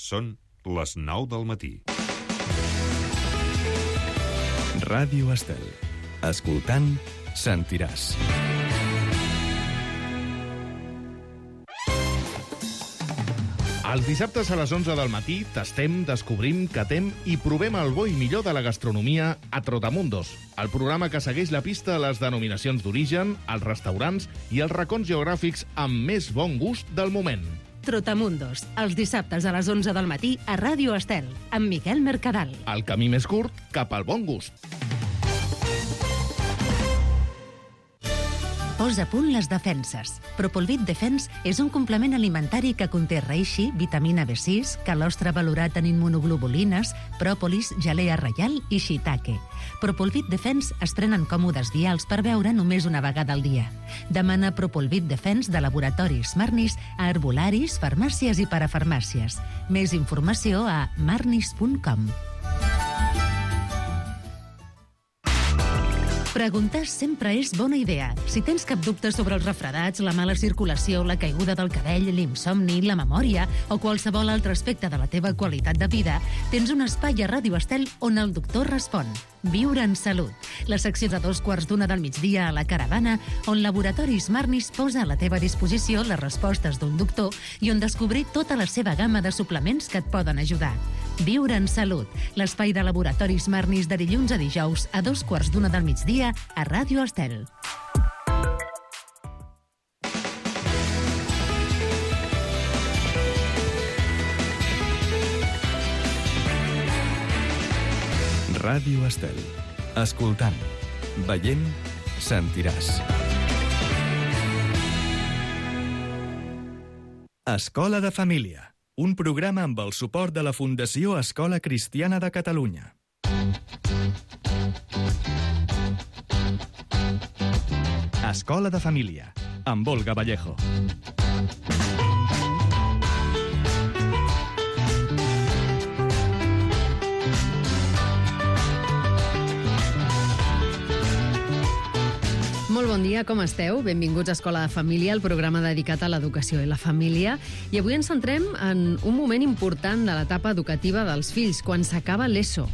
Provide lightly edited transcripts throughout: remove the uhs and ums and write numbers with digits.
Són les 9 del matí. Ràdio Estel. Escoltant, sentiràs. Els dissabtes a les 11 del matí tastem, descobrim, catem i provem el bo i millor de la gastronomia a Trotamundos, el programa que segueix la pista a les denominacions d'origen, als restaurants i als racons geogràfics amb més bon gust del moment. Trotamundos, els dissabtes a les 11 del matí a Ràdio Estel, amb Miquel Mercadal. El camí més curt cap al bon gust. Posa a punt les defenses. Propolvit Defense és un complement alimentari que conté reishi, vitamina B6, calostre valorat en immunoglobulines, pròpolis, gelea reial i shiitake. Propolvit Defense es prenen còmodes vials per beure només una vegada al dia. Demana Propolvit Defense de laboratoris Marnis a herbolaris, farmàcies i parafarmàcies. Més informació a marnis.com. Preguntar sempre és bona idea. Si tens cap dubte sobre els refredats, la mala circulació, la caiguda del cabell, l'insomni, la memòria o qualsevol altre aspecte de la teva qualitat de vida, tens un espai a Ràdio Estel on el doctor respon. Viure en salut. La secció de 2:15 del migdia a la Caravana, on Laboratoris Marnis posa a la teva disposició les respostes d'un doctor i on descobrir tota la seva gamma de suplements que et poden ajudar. Viure en salut. L'espai de Laboratoris Marnis de dilluns a dijous a 2:15 del migdia a Ràdio Estel. Ràdio Estel. Escoltant, veient, sentiràs. Escola de Família. Un programa amb el suport de la Fundació Escola Cristiana de Catalunya. Escola de Família, amb Olga Vallejo. Molt bon dia, com esteu? Benvinguts a Escola de Família, el programa dedicat a l'educació i la família. I avui ens centrem en un moment important de l'etapa educativa dels fills, quan s'acaba l'ESO,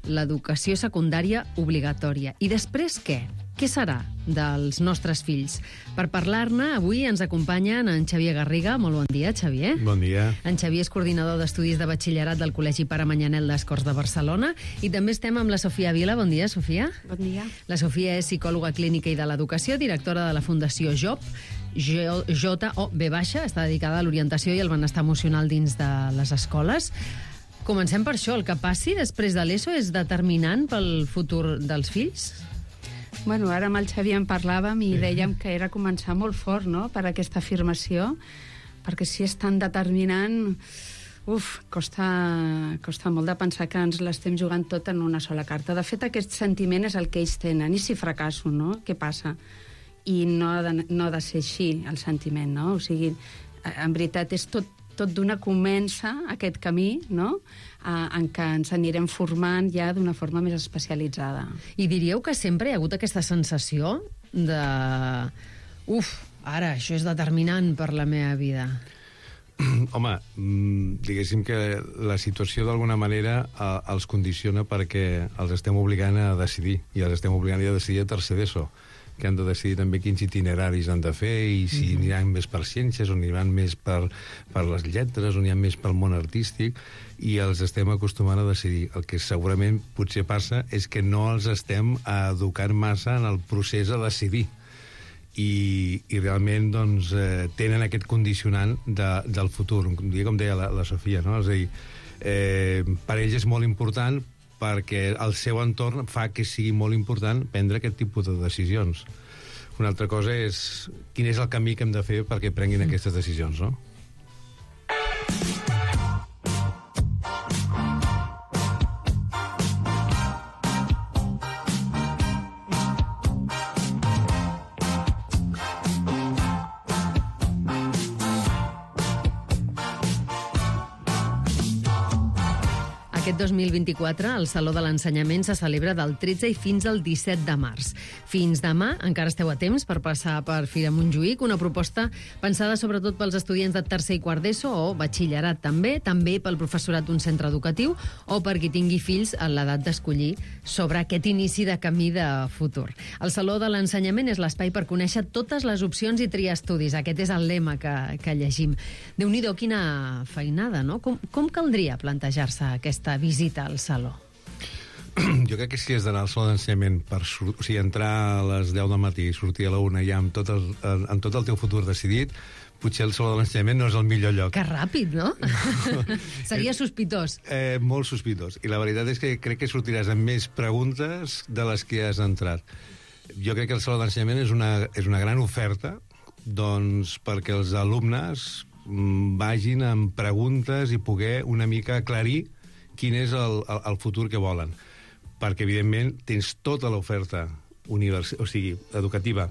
l'educació secundària obligatòria. I després què? Què serà dels nostres fills? Per parlar-ne, avui ens acompanyen en Xavier Garriga. Molt bon dia, Xavier. Bon dia. En Xavier és coordinador d'estudis de batxillerat del Col·legi Pare Manyanel d'Escorts de Barcelona. I també estem amb la Sofia Vila. Bon dia, Sofia. Bon dia. La Sofia és psicòloga clínica i de l'educació, directora de la Fundació JOB, JOB, està dedicada a l'orientació i el benestar emocional dins de les escoles. Comencem per això. El que passi després de l'ESO és determinant pel futur dels fills? Bueno, ara amb el Xavier en parlàvem i dèiem que era començar molt fort, no?, per aquesta afirmació, perquè si és tan determinant, costa molt de pensar que ens l'estem jugant tot en una sola carta. De fet, aquest sentiment és el que ells tenen. I si fracasso, no? Què passa? I no ha de ser així, el sentiment, no? O sigui, en veritat, és tot d'una comença aquest camí, no?, en què ens anirem formant ja d'una forma més especialitzada. I diríeu que sempre hi ha hagut aquesta sensació de... ara, això és determinant per la meva vida. Home, diguéssim que la situació d'alguna manera els condiciona perquè els estem obligant a decidir, i els estem obligant a decidir a tercer d'ESO, que han de decidir també quins itineraris han de fer i si aniran més per ciències o aniran més per les lletres o aniran més pel món artístic, i els estem acostumant a decidir. El que segurament potser passa és que no els estem educant massa en el procés a decidir i realment doncs, tenen aquest condicionant del futur, com deia la Sofia, no? És a dir, per ells és molt important perquè el seu entorn fa que sigui molt important prendre aquest tipus de decisions. Una altra cosa és quin és el camí que hem de fer perquè prenguin aquestes decisions, no? Aquest 2024, el Saló de l'Ensenyament se celebra del 13 i fins al 17 de març. Fins demà encara esteu a temps per passar per Fira Montjuïc, una proposta pensada sobretot pels estudiants de tercer i quart d'ESO o batxillerat també pel professorat d'un centre educatiu o per qui tingui fills a l'edat d'escollir sobre aquest inici de camí de futur. El Saló de l'Ensenyament és l'espai per conèixer totes les opcions i triar estudis. Aquest és el lema que llegim. Déu-n'hi-do, quina feinada, no? Com caldria plantejar-se aquesta visita al Saló? Jo crec que si has d'anar al Saló d'Ensenyament entrar a les 10 del matí i sortir a la 1 ja amb tot el teu futur decidit, potser el Saló de l'Ensenyament no és el millor lloc. Que ràpid, no? Seria sospitós. Molt sospitós. I la veritat és que crec que sortiràs amb més preguntes de les que has entrat. Jo crec que el Saló d'Ensenyament és una gran oferta doncs, perquè els alumnes vagin amb preguntes i poder una mica aclarir quin és el futur que volen. Perquè, evidentment, tens tota l'oferta educativa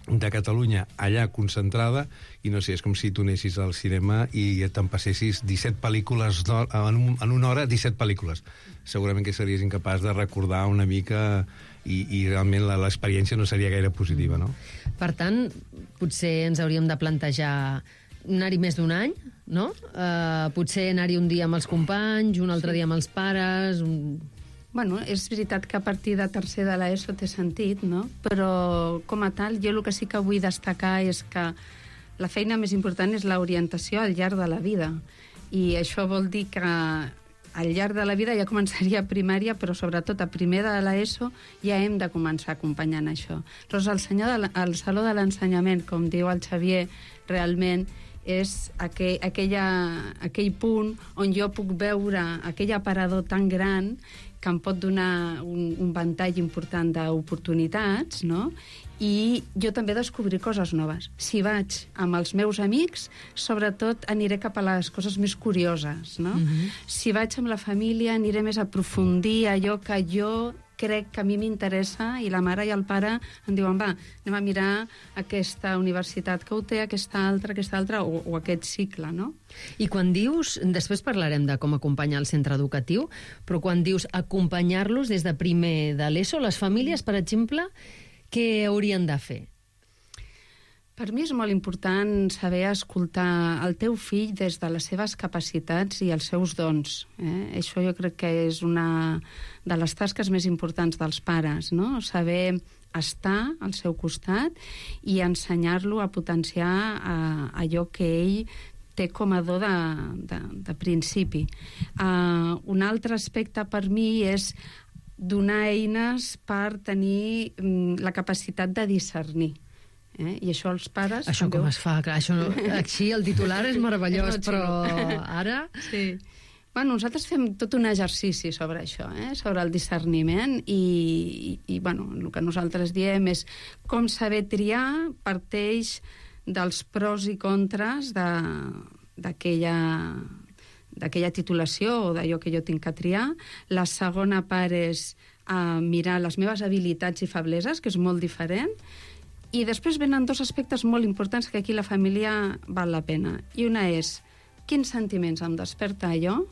de Catalunya allà concentrada i no sé, és com si tu anessis al cinema i te'n passessis 17 pel·lícules en una hora, 17 pel·lícules. Segurament que series incapaç de recordar una mica i realment l'experiència no seria gaire positiva, no? Per tant, potser ens hauríem de plantejar anar-hi més d'un any, no? Potser anar-hi un dia amb els companys, un altre dia amb els pares... Bueno, és veritat que a partir de tercer de l'ESO té sentit, no? Però, com a tal, jo el que sí que vull destacar és que la feina més important és l'orientació al llarg de la vida. I això vol dir que al llarg de la vida ja començaria a primària, però sobretot a primer de l'ESO ja hem de començar acompanyant això. Llavors, el Saló de l'Ensenyament, com diu el Xavier, realment és aquell punt on jo puc veure aquell aparador tan gran que em pot donar un ventall important d'oportunitats, no? I jo també descobrir coses noves. Si vaig amb els meus amics, sobretot aniré cap a les coses més curioses, no? Si vaig amb la família, aniré més a aprofundir allò que jo crec que a mi m'interessa i la mare i el pare em diuen, va, anem a mirar aquesta universitat que ho té, aquesta altra, o aquest cicle, no? I quan dius, després parlarem de com acompanyar el centre educatiu, però quan dius acompanyar-los des de primer de l'ESO, les famílies, per exemple, què haurien de fer? Per mi és molt important saber escoltar el teu fill des de les seves capacitats i els seus dons. Això jo crec que és una de les tasques més importants dels pares, no? Saber estar al seu costat i ensenyar-lo a potenciar allò que ell té com a do de principi. Un altre aspecte per mi és donar eines per tenir la capacitat de discernir. I això els pares... Això com es fa? Clar, això no... Així el titular és meravellós, però ara... Sí. Bueno, nosaltres fem tot un exercici sobre això, sobre el discerniment i bueno, el que nosaltres diem és com saber triar parteix dels pros i contres d'aquella titulació o d'allò que jo tinc que triar. La segona part és mirar les meves habilitats i febleses, que és molt diferent. I després venen dos aspectes molt importants que aquí la família val la pena. I una és quins sentiments em desperta allò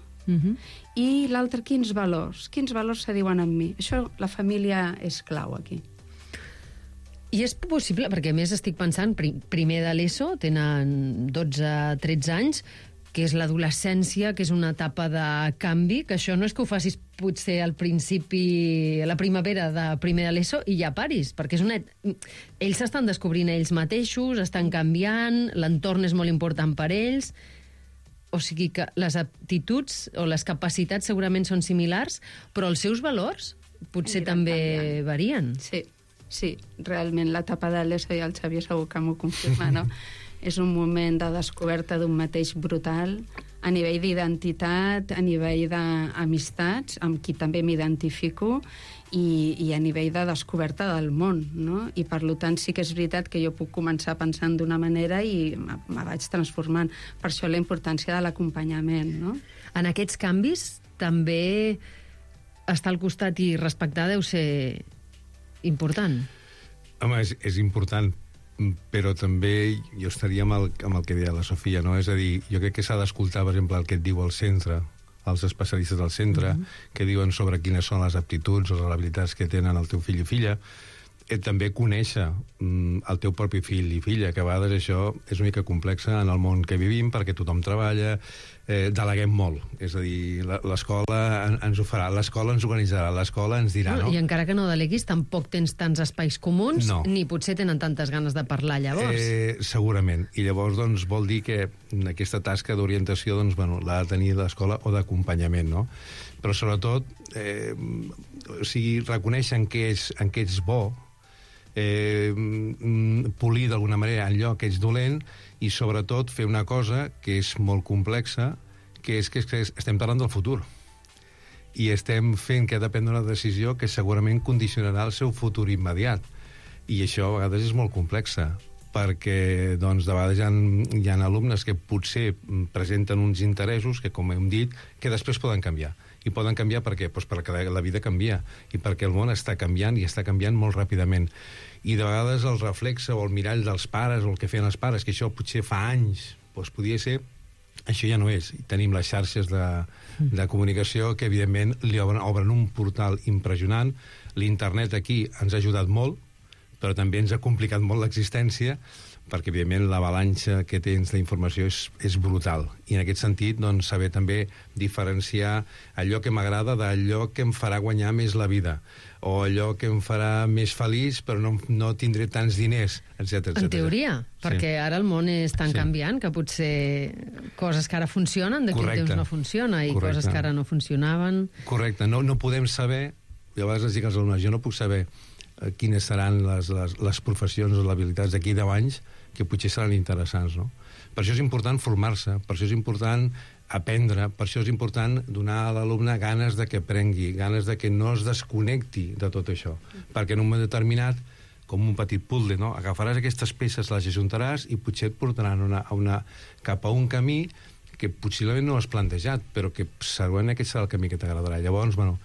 i l'altre quins valors se diuen en mi. Això la família és clau aquí. I és possible, perquè a més estic pensant, primer de l'ESO, tenen 12-13 anys, que és l'adolescència, que és una etapa de canvi, que això no és que ho facis potser al principi, a la primavera de primer de l'ESO, i ja paris, perquè ells s'estan descobrint ells mateixos, estan canviant, l'entorn és molt important per ells, o sigui que les aptituds o les capacitats segurament són similars, però els seus valors potser també varien. Sí, realment l'etapa de l'ESO i el Xavier segur que m'ho confirma, no? És un moment de descoberta d'un mateix brutal, a nivell d'identitat, a nivell d'amistats, amb qui també m'identifico, i a nivell de descoberta del món, no? I per tant sí que és veritat que jo puc començar pensant d'una manera i me vaig transformant. Per això la importància de l'acompanyament, no? En aquests canvis també estar al costat i respectar deu ser important. Home, és important, però també jo estaria amb el que deia la Sofia, no? És a dir, jo crec que s'ha d'escoltar, per exemple, el que et diu el centre, els especialistes del centre, que diuen sobre quines són les aptituds o les habilitats que tenen el teu fill i filla. També conèixer el teu propi fill i filla, que a vegades això és una mica complexa en el món que vivim, perquè tothom treballa, deleguem molt. És a dir, l'escola ens ho farà, l'escola ens organitzarà, l'escola ens dirà, no? I encara que no deleguis, tampoc tens tants espais comuns, ni potser tenen tantes ganes de parlar llavors. Segurament. I llavors doncs, vol dir que aquesta tasca d'orientació doncs, bueno, l'ha de tenir l'escola o d'acompanyament, no? Però sobretot, o sigui, reconèixer en què ets bo, polir d'alguna manera allò que ets dolent i sobretot fer una cosa que és molt complexa, que és que estem parlant del futur i estem fent que ha de prendre una decisió que segurament condicionarà el seu futur immediat, i això a vegades és molt complexa, perquè doncs, de vegades hi ha alumnes que potser presenten uns interessos que, com hem dit, que després poden canviar. I poden canviar per què? Doncs perquè la vida canvia i perquè el món està canviant i està canviant molt ràpidament. I de vegades el reflexe o el mirall dels pares o el que feien els pares, que això potser fa anys, doncs podia ser, això ja no és. I tenim les xarxes de comunicació que, evidentment, li obren un portal impressionant. L'internet aquí ens ha ajudat molt, però també ens ha complicat molt l'existència, perquè, evidentment, l'avalanxa que tens d'informació és brutal. I en aquest sentit, doncs, saber també diferenciar allò que m'agrada d'allò que em farà guanyar més la vida, o allò que em farà més feliç, però no tindré tants diners, etc. En teoria, perquè ara el món és tan canviant que potser coses que ara funcionen, d'aquí un temps no funciona, i coses que ara no funcionaven... Correcte, no podem saber, i a vegades els dic als alumnes, jo no puc saber quines seran les professions o les habilitats d'aquí 10 anys que potser seran interessants, no? Per això és important formar-se, per això és important aprendre, per això és important donar a l'alumne ganes de que aprengui, ganes de que no es desconnecti de tot això, perquè en un moment determinat, com un petit puzzle, no? Agafaràs aquestes peces, les ajuntaràs i potser et portaran cap a un camí que possiblement no has plantejat, però que segurament aquest serà el camí que t'agradarà. Llavors, bueno,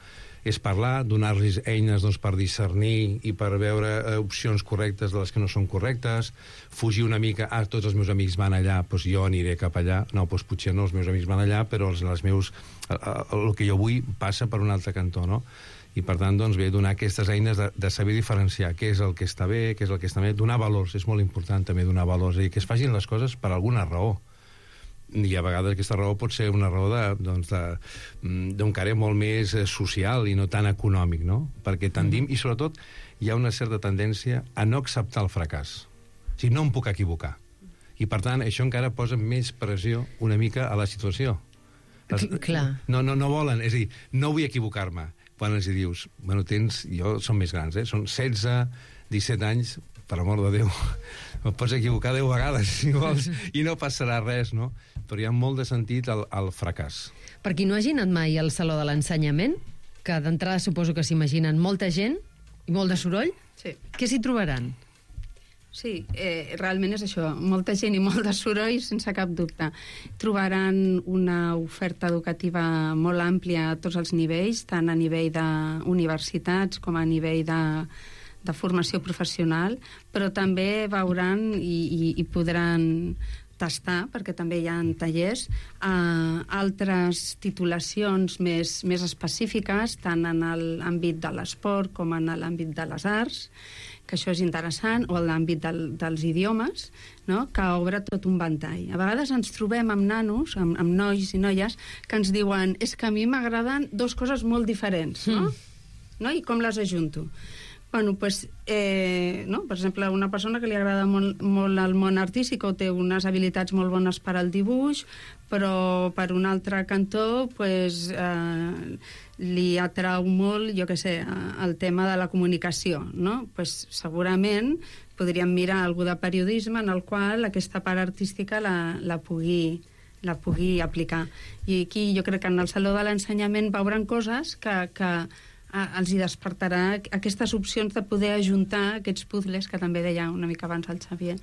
és parlar, donar-los eines doncs, per discernir i per veure opcions correctes de les que no són correctes, fugir una mica, tots els meus amics van allà, doncs jo aniré cap allà, no, doncs potser no, els meus amics van allà, però el que jo vull passa per un altre cantó, no? I per tant, doncs bé, donar aquestes eines de saber diferenciar què és el que està bé, què és el que està bé, donar valors, és molt important també donar valors, i que es facin les coses per alguna raó. I a vegades aquesta raó pot ser una raó d'un caire molt més social i no tan econòmic, no? Perquè tendim, i sobretot hi ha una certa tendència a no acceptar el fracàs. O sigui, no em puc equivocar. I per tant, això encara posa més pressió una mica a la situació. Clar. No volen, és a dir, no vull equivocar-me. Quan els dius, bueno, són més grans, són 16, 17 anys, per amor de Déu, et pots equivocar 10 vegades, si vols, i no passarà res, no? Però hi ha molt de sentit al fracàs. Per qui no hagi anat mai al Saló de l'Ensenyament, que d'entrada suposo que s'imaginen molta gent i molt de soroll, què s'hi trobaran? Sí, realment és això, molta gent i molt de soroll, sense cap dubte. Trobaran una oferta educativa molt àmplia a tots els nivells, tant a nivell d'universitats com a nivell de formació professional, però també veuran i podran tastar, perquè també hi ha tallers, altres titulacions més específiques, tant en l'àmbit de l'esport com en l'àmbit de les arts, que això és interessant, o en l'àmbit dels idiomes, no? Que obre tot un ventall. A vegades ens trobem amb nanos, amb nois i noies, que ens diuen, és que a mi m'agraden dues coses molt diferents, no? I com les ajunto? Bueno, pues, no? Per exemple, una persona que li agrada molt el món artístic o té unes habilitats molt bones per al dibuix, però per un altre cantó pues, li atrau molt, jo què sé, el tema de la comunicació, no? Pues, segurament podríem mirar algú de periodisme en el qual aquesta part artística la pugui aplicar. I aquí jo crec que en el Saló de l'Ensenyament veuran coses que els hi despertarà aquestes opcions de poder ajuntar aquests puzzles que també deia una mica abans el Xavier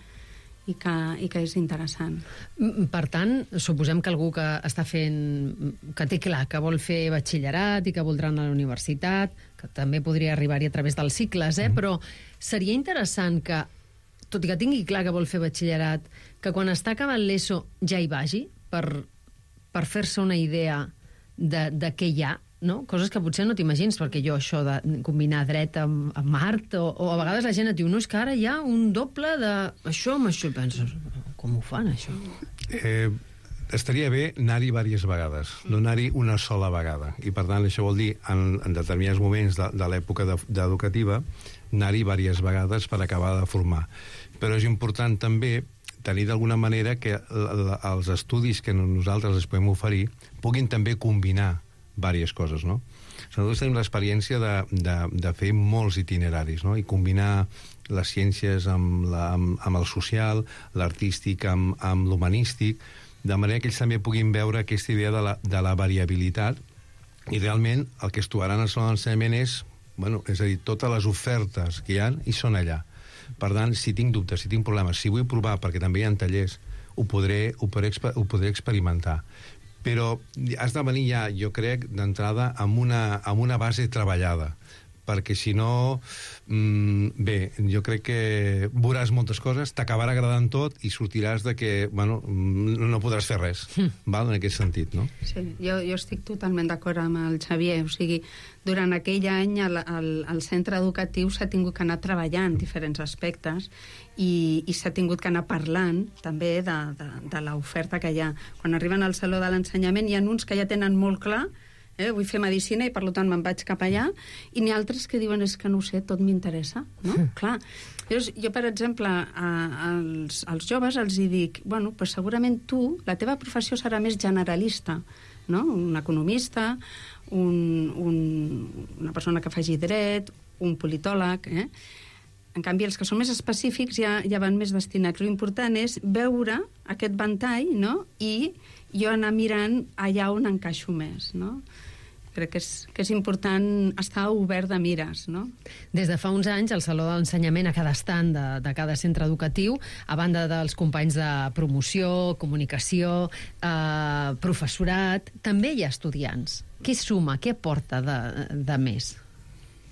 i que és interessant. Per tant, suposem que algú que està fent, que té clar que vol fer batxillerat i que voldrà anar a la universitat, que també podria arribar-hi a través dels cicles, però seria interessant que, tot i que tingui clar que vol fer batxillerat, que quan està acabant l'ESO ja hi vagi per fer-se una idea de què hi ha, no? Coses que potser no t'imagins, perquè jo això de combinar dret amb art, o a vegades la gent et diu, no, és que ara hi ha un doble d'això amb això, i penses, com ho fan, això? Estaria bé anar-hi diverses vegades, no anar-hi una sola vegada. I, per tant, això vol dir, en determinats moments de l'època educativa, anar-hi diverses vegades per acabar de formar. Però és important també tenir d'alguna manera que els estudis que nosaltres els podem oferir puguin també combinar diverses coses, no? Nosaltres tenim l'experiència de fer molts itineraris, no? I combinar les ciències amb el social, l'artístic amb l'humanístic, de manera que ells també puguin veure aquesta idea de la variabilitat, i realment el que es trobaran al saló d'ensenyament és a dir, totes les ofertes que hi ha i són allà. Per tant, si tinc dubtes, si tinc problemes, si vull provar, perquè també hi ha tallers, ho podré experimentar. Però has de venir ja, jo crec, d'entrada amb una base treballada, perquè si no, bé, jo crec que veuràs moltes coses, t'acabarà agradant tot i sortiràs de que, no podràs fer res, val? En aquest sentit, no? Sí, jo estic totalment d'acord amb el Xavier, o sigui, durant aquell any el centre educatiu s'ha tingut que anar treballant diferents aspectes i s'ha tingut que anar parlant també de l'oferta que hi ha. Quan arriben al Saló de l'Ensenyament hi ha uns que ja tenen molt clar, vull fer medicina i per tant me'n vaig cap allà, i n'hi ha altres que diuen és que no ho sé, tot m'interessa, no? Clar. Jo, per exemple, als joves els hi dic, pues segurament tu, la teva professió serà més generalista, no? Un economista, una persona que faci dret, un politòleg, En canvi, els que són més específics ja van més destinats. L'important és veure aquest ventall, no? I jo anar mirant allà on encaixo més, no? Crec que és important estar obert de mires, no? Des de fa uns anys, al Saló de l'Ensenyament, a cada estand de cada centre educatiu, a banda dels companys de promoció, comunicació, professorat, també hi ha estudiants. Què suma, què aporta de més?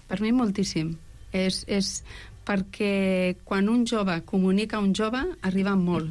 Per mi moltíssim. És perquè quan un jove comunica a un jove, arriba molt,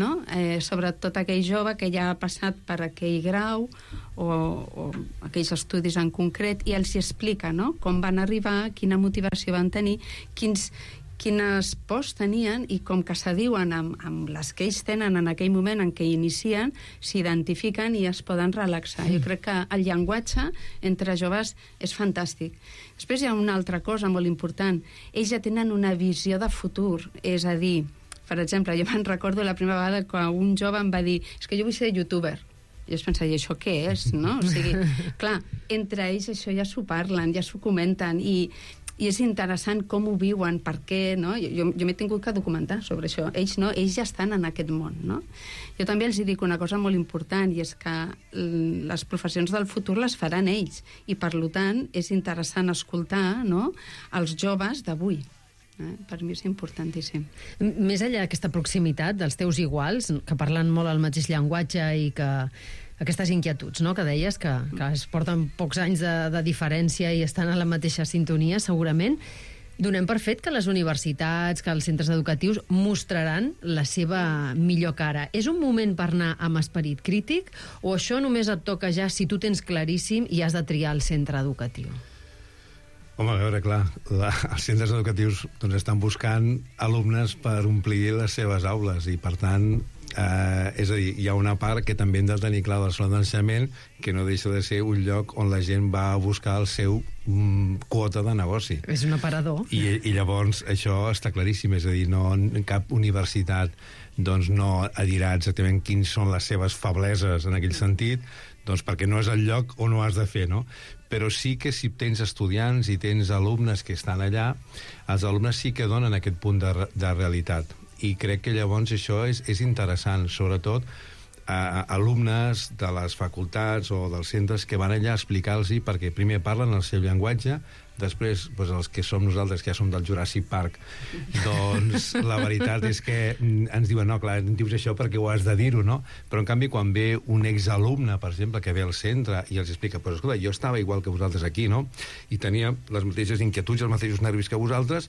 no? Sobretot aquell jove que ja ha passat per aquell grau o aquells estudis en concret, i els hi explica, no? Com van arribar, quina motivació van tenir, quines pors tenien, i com que s'adiuen amb les que ells tenen en aquell moment en què inicien, s'identifiquen i es poden relaxar. Jo crec que el llenguatge entre joves és fantàstic. Després hi ha una altra cosa molt important. Ells ja tenen una visió de futur, és a dir, per exemple, jo me'n recordo la primera vegada que un jove em va dir és que jo vull ser youtuber. I jo pensava, i això què és, no? O sigui, clar, entre ells això ja s'ho parlen, ja s'ho comenten, i és interessant com ho viuen, per què, no? Jo m'he tingut que documentar sobre això. Ells no, ells ja estan en aquest món, no? Jo també els dic una cosa molt important, i és que les professions del futur les faran ells, i per tant és interessant escoltar, no?, els joves d'avui. Per mi és importantíssim. Més enllà d'aquesta proximitat dels teus iguals, que parlen molt el mateix llenguatge i que aquestes inquietuds, no?, que deies, que es porten pocs anys de diferència i estan a la mateixa sintonia, segurament, donem per fet que les universitats, que els centres educatius mostraran la seva millor cara. És un moment per anar amb esperit crític, o això només et toca ja si tu tens claríssim i has de triar el centre educatiu? Home, a veure, clar, els centres educatius estan buscant alumnes per omplir les seves aules, i per tant, és a dir, hi ha una part que també hem de tenir clar del saló d'ensenyament, que no deixa de ser un lloc on la gent va a buscar el seu quota de negoci. És un aparador. I llavors això està claríssim, és a dir, no, cap universitat no dirà exactament quins són les seves febleses en aquell sentit, perquè no és el lloc on ho has de fer, no? Però sí que si tens estudiants i tens alumnes que estan allà, els alumnes sí que donen aquest punt de realitat. I crec que llavors això és interessant, sobretot alumnes de les facultats o dels centres que van allà a explicar-los, perquè primer parlen el seu llenguatge, després els que som nosaltres, que ja som del Jurassic Park, la veritat és que ens diuen, no, clar, dius això perquè ho has de dir-ho, no? Però en canvi quan ve un exalumne, per exemple, que ve al centre i els explica, però escolta, jo estava igual que vosaltres aquí, no? I tenia les mateixes inquietuds, els mateixos nervis que vosaltres,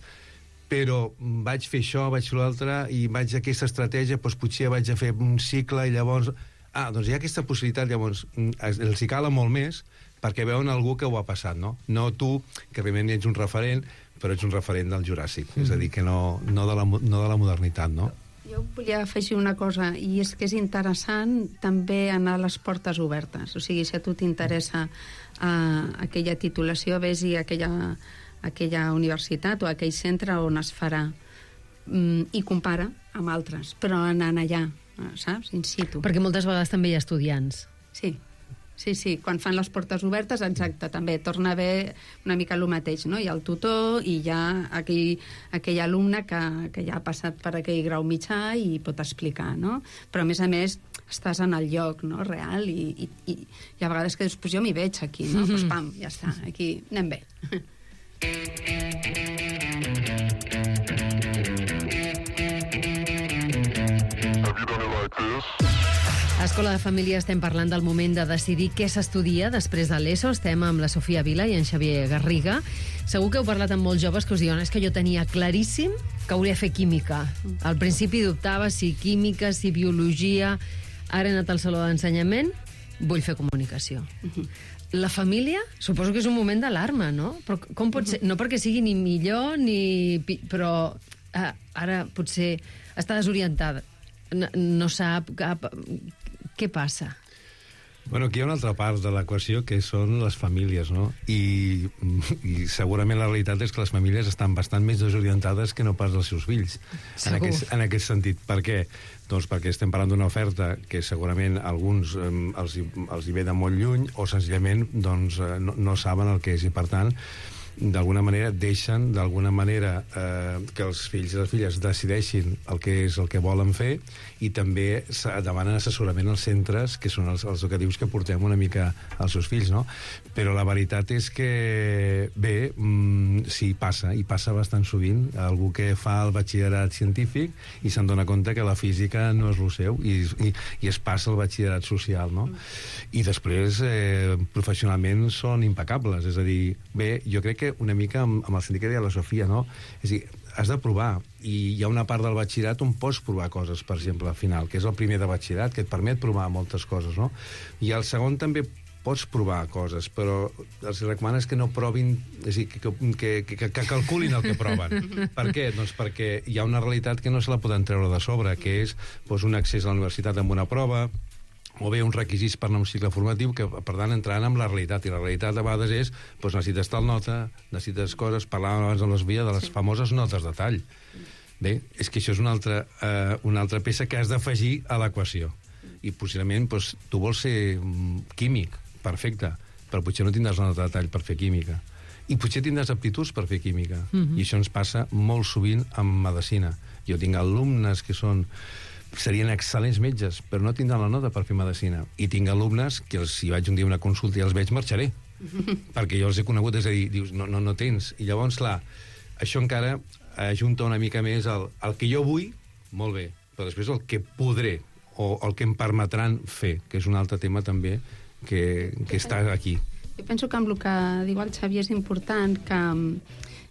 però vaig fer això, vaig fer l'altre, i vaig a aquesta estratègia, potser vaig a fer un cicle, i llavors doncs hi ha aquesta possibilitat, llavors els hi cala molt més perquè veuen algú que ho ha passat, no? No tu, que realment ets un referent, però ets un referent del Juràssic, és a dir, que no de la modernitat, no? Jo volia afegir una cosa, i és que és interessant també anar a les portes obertes. O sigui, si a tu t'interessa aquella titulació, vés-hi a aquella universitat o a aquell centre on es farà, i compara amb altres, però anant allà, saps? In situ. Perquè moltes vegades també hi ha estudiants. Sí, quan fan les portes obertes, exacte, també torna a haver una mica el mateix, no? Hi ha el tutor i hi ha aquell alumne que ja ha passat per aquell grau mitjà i pot explicar, no? Però, a més, estàs en el lloc, no?, real, i a vegades que dius, pues jo m'hi veig aquí, no? Pues pam, ja està, aquí anem bé. A Escola de Família estem parlant del moment de decidir què s'estudia després de l'ESO. Estem amb la Sofia Vila i en Xavier Garriga. Segur que heu parlat amb molts joves que us diuen és que jo tenia claríssim que hauria de fer química. Al principi dubtava si química, si biologia. Ara he anat al saló d'ensenyament, vull fer comunicació. La família, suposo que és un moment d'alarma, no? Però com pot ser? No perquè sigui ni millor, però ara potser està desorientada. No sap què passa. Bueno, aquí hi ha una altra part de l'equació que són les famílies, no? I segurament la realitat és que les famílies estan bastant més desorientades que no pas els seus fills. En aquest sentit. Per què? Doncs perquè estem parlant d'una oferta que segurament a alguns els hi ve de molt lluny o senzillament doncs, no saben el que és i per tant d'alguna manera deixen que els fills i les filles decideixin el que és el que volen fer i també demanen assessorament als centres que són els educatius que portem una mica als seus fills, no? Però la veritat és que bé, sí, passa, i passa bastant sovint, algú que fa el batxillerat científic i se'n dona compte que la física no és el seu i es passa el batxillerat social, no? I després professionalment són impecables, és a dir, bé, jo crec que una mica amb el sentit que deia la Sofia, no? És a dir, has de provar, i hi ha una part del batxillerat on pots provar coses, per exemple, al final, que és el primer de batxillerat, que et permet provar moltes coses, no? I al segon també pots provar coses, però els recomanes que no provin, és a dir, que calculin el que proven. Per què? Doncs perquè hi ha una realitat que no se la poden treure de sobre, que és un accés a la universitat amb una prova, o bé uns requisits per anar a un cicle formatiu que, per tant, entraran amb la realitat. I la realitat, a vegades, és necessites tal nota, necessites coses, parlàvem abans de l'Esvia, de les famoses notes de tall. Bé, és que això és una altra peça que has d'afegir a l'equació. I, possiblement, tu vols ser químic, perfecte, però potser no tindràs una nota de tall per fer química. I potser tindràs aptituds per fer química. I això ens passa molt sovint amb medicina. Jo tinc alumnes que serien excel·lents metges, però no tindran la nota per fer medicina. I tinc alumnes que si vaig un dia a una consulta i els veig, marxaré. Perquè jo els he conegut, és a dir, dius, no tens. I llavors, clar, això encara ajunta una mica més el que jo vull, molt bé, però després el que podré o el que em permetran fer, que és un altre tema també que està aquí. Jo penso que amb el que diu el Xavier és important que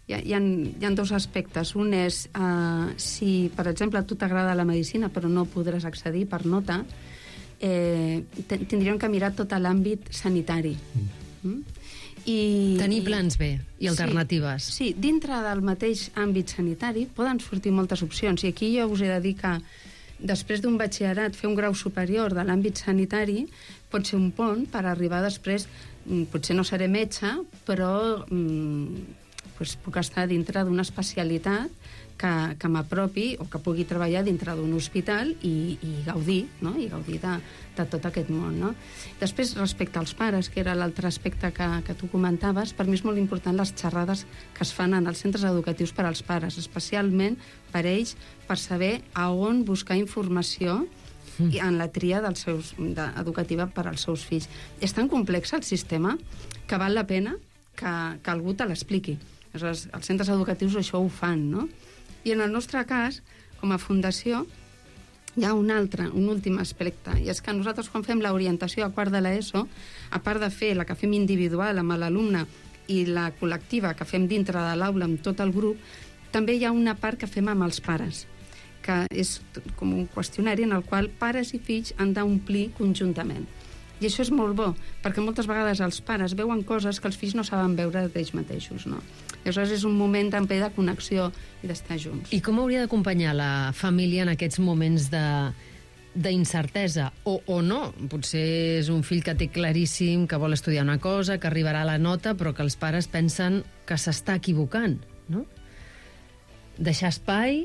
hi ha dos aspectes. Un és, si, per exemple, a tu t'agrada la medicina però no podràs accedir per nota, tindríem que mirar tot l'àmbit sanitari. Tenir plans B i alternatives. Sí, dintre del mateix àmbit sanitari poden sortir moltes opcions. I aquí jo us he de dir que després d'un batxillerat, fer un grau superior de l'àmbit sanitari pot ser un pont per arribar després, potser no seré metge, però puc estar dintre d'una especialitat que m'apropi o que pugui treballar dintre d'un hospital i gaudir, no? I gaudir de tot aquest món, no? Després, respecte als pares, que era l'altre aspecte que tu comentaves, per mi és molt important les xerrades que es fan en els centres educatius per als pares, especialment per ells, per saber a on buscar informació en la tria educativa per als seus fills. És tan complex el sistema que val la pena que algú te l'expliqui. Els centres educatius això ho fan, no? I en el nostre cas, com a fundació, hi ha un últim aspecte, i és que nosaltres quan fem l'orientació a quart de l'ESO, a part de fer la que fem individual amb l'alumne i la col·lectiva que fem dintre de l'aula amb tot el grup, també hi ha una part que fem amb els pares, que és com un qüestionari en el qual pares i fills han d'omplir conjuntament. I això és molt bo, perquè moltes vegades els pares veuen coses que els fills no saben veure d'ells mateixos, no? Aleshores és un moment també de connexió i d'estar junts. I com hauria d'acompanyar la família en aquests moments d'incertesa? O no? Potser és un fill que té claríssim que vol estudiar una cosa, que arribarà a la nota, però que els pares pensen que s'està equivocant, no? Deixar espai,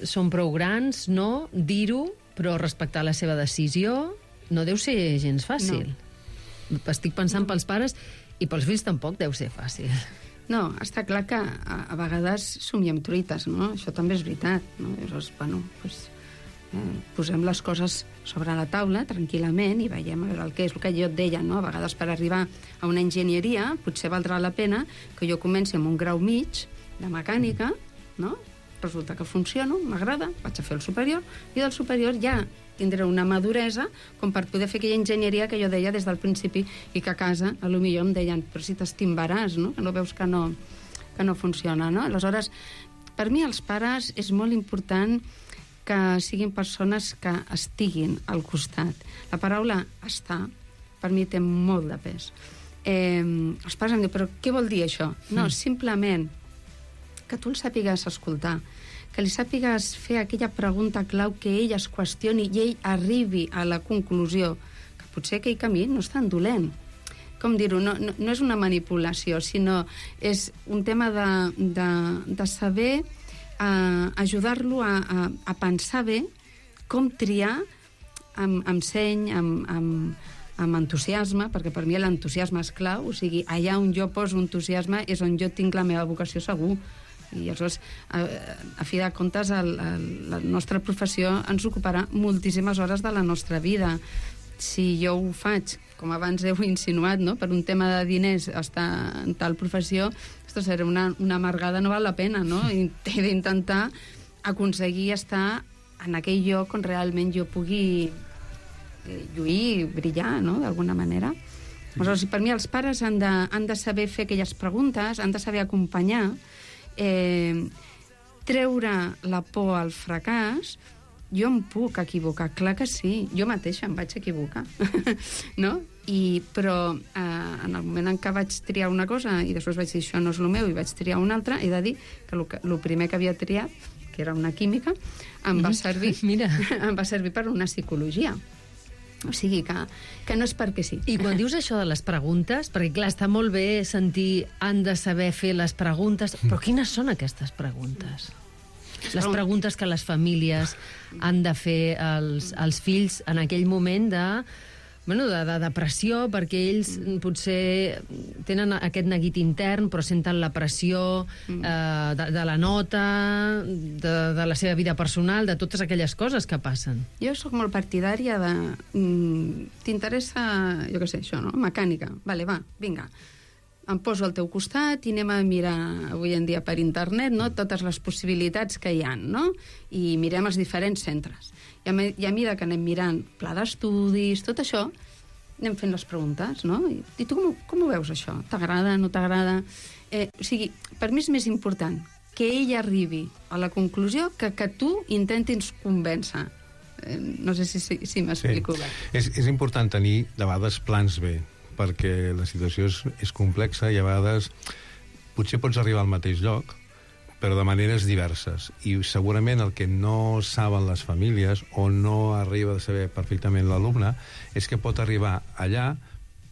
són prou grans, no? Dir-ho, però respectar la seva decisió, no deu ser gens fàcil. No. Estic pensant pels pares i pels fills tampoc deu ser fàcil. No, està clar que a vegades somiem truites, no? Això també és veritat, no? Llavors, bueno, doncs, posem les coses sobre la taula tranquil·lament i veiem a veure el que és el que jo et deia, no? A vegades per arribar a una enginyeria potser valdrà la pena que jo comenci amb un grau mig de mecànica, no? Resulta que funciono, m'agrada, vaig a fer el superior i del superior ja tindré una maduresa com per poder fer aquella enginyeria que jo deia des del principi i que a casa a lo millor em deien però si t'estimbaràs, no? Que no veus que no funciona, no? Aleshores, per mi els pares és molt important que siguin persones que estiguin al costat. La paraula estar per mi té molt de pes. Els pares em diuen, però què vol dir això? No, simplement que tu el sàpigues escoltar, que li sàpigues fer aquella pregunta clau que ell es qüestioni i ell arribi a la conclusió que potser aquell camí no és tan dolent. Com dir-ho? No és una manipulació, sinó és un tema de saber ajudar-lo a pensar bé com triar amb seny, amb entusiasme, perquè per mi l'entusiasme és clau, o sigui, allà on jo poso entusiasme és on jo tinc la meva vocació segur. I aleshores, a fi de comptes, la nostra professió ens ocuparà moltíssimes hores de la nostra vida. Si jo ho faig, com abans heu insinuat, no? Per un tema de diners estar en tal professió, esto serà una amargada, no val la pena, no? He d'intentar aconseguir estar en aquell lloc on realment jo pugui lluir, brillar, no? D'alguna manera. Aleshores, per mi els pares han de saber fer aquelles preguntes, han de saber acompanyar, treure la por al fracàs. Jo em puc equivocar, clar que sí, jo mateixa em vaig equivocar no? Però en el moment en què vaig triar una cosa i després vaig dir això no és el meu i vaig triar una altra, he de dir que el primer que havia triat, que era una química, em va servir em va servir per una psicologia. O sigui que no és perquè sí. I quan dius això de les preguntes, perquè clar, està molt bé sentir han de saber fer les preguntes, però quines són aquestes preguntes? Les preguntes que les famílies han de fer als fills en aquell moment de depressió, perquè ells potser tenen aquest neguit intern, però senten la pressió de la nota, de la seva vida personal, de totes aquelles coses que passen. Jo sóc molt partidària de... T'interessa, jo què sé, això, no? Mecànica. Vale, va, vinga. Em poso al teu costat i anem a mirar avui en dia per internet, no? Totes les possibilitats que hi ha, no? I mirem els diferents centres. I a mesura que anem mirant pla d'estudis, tot això, anem fent les preguntes, no? I tu com ho veus, això? T'agrada, no t'agrada? O sigui, per mi és més important que ell arribi a la conclusió que tu intentis convèncer. No sé si m'explico bé. És important tenir, de vegades, plans B, perquè la situació és complexa i a vegades potser pots arribar al mateix lloc, però de maneres diverses. I segurament el que no saben les famílies o no arriba a saber perfectament l'alumne és que pot arribar allà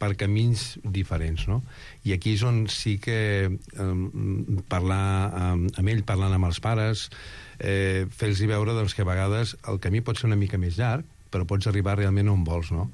per camins diferents, no? I aquí és on sí que parlar amb ell, parlant amb els pares, fer-los veure doncs, que a vegades el camí pot ser una mica més llarg, però pots arribar realment on vols, no?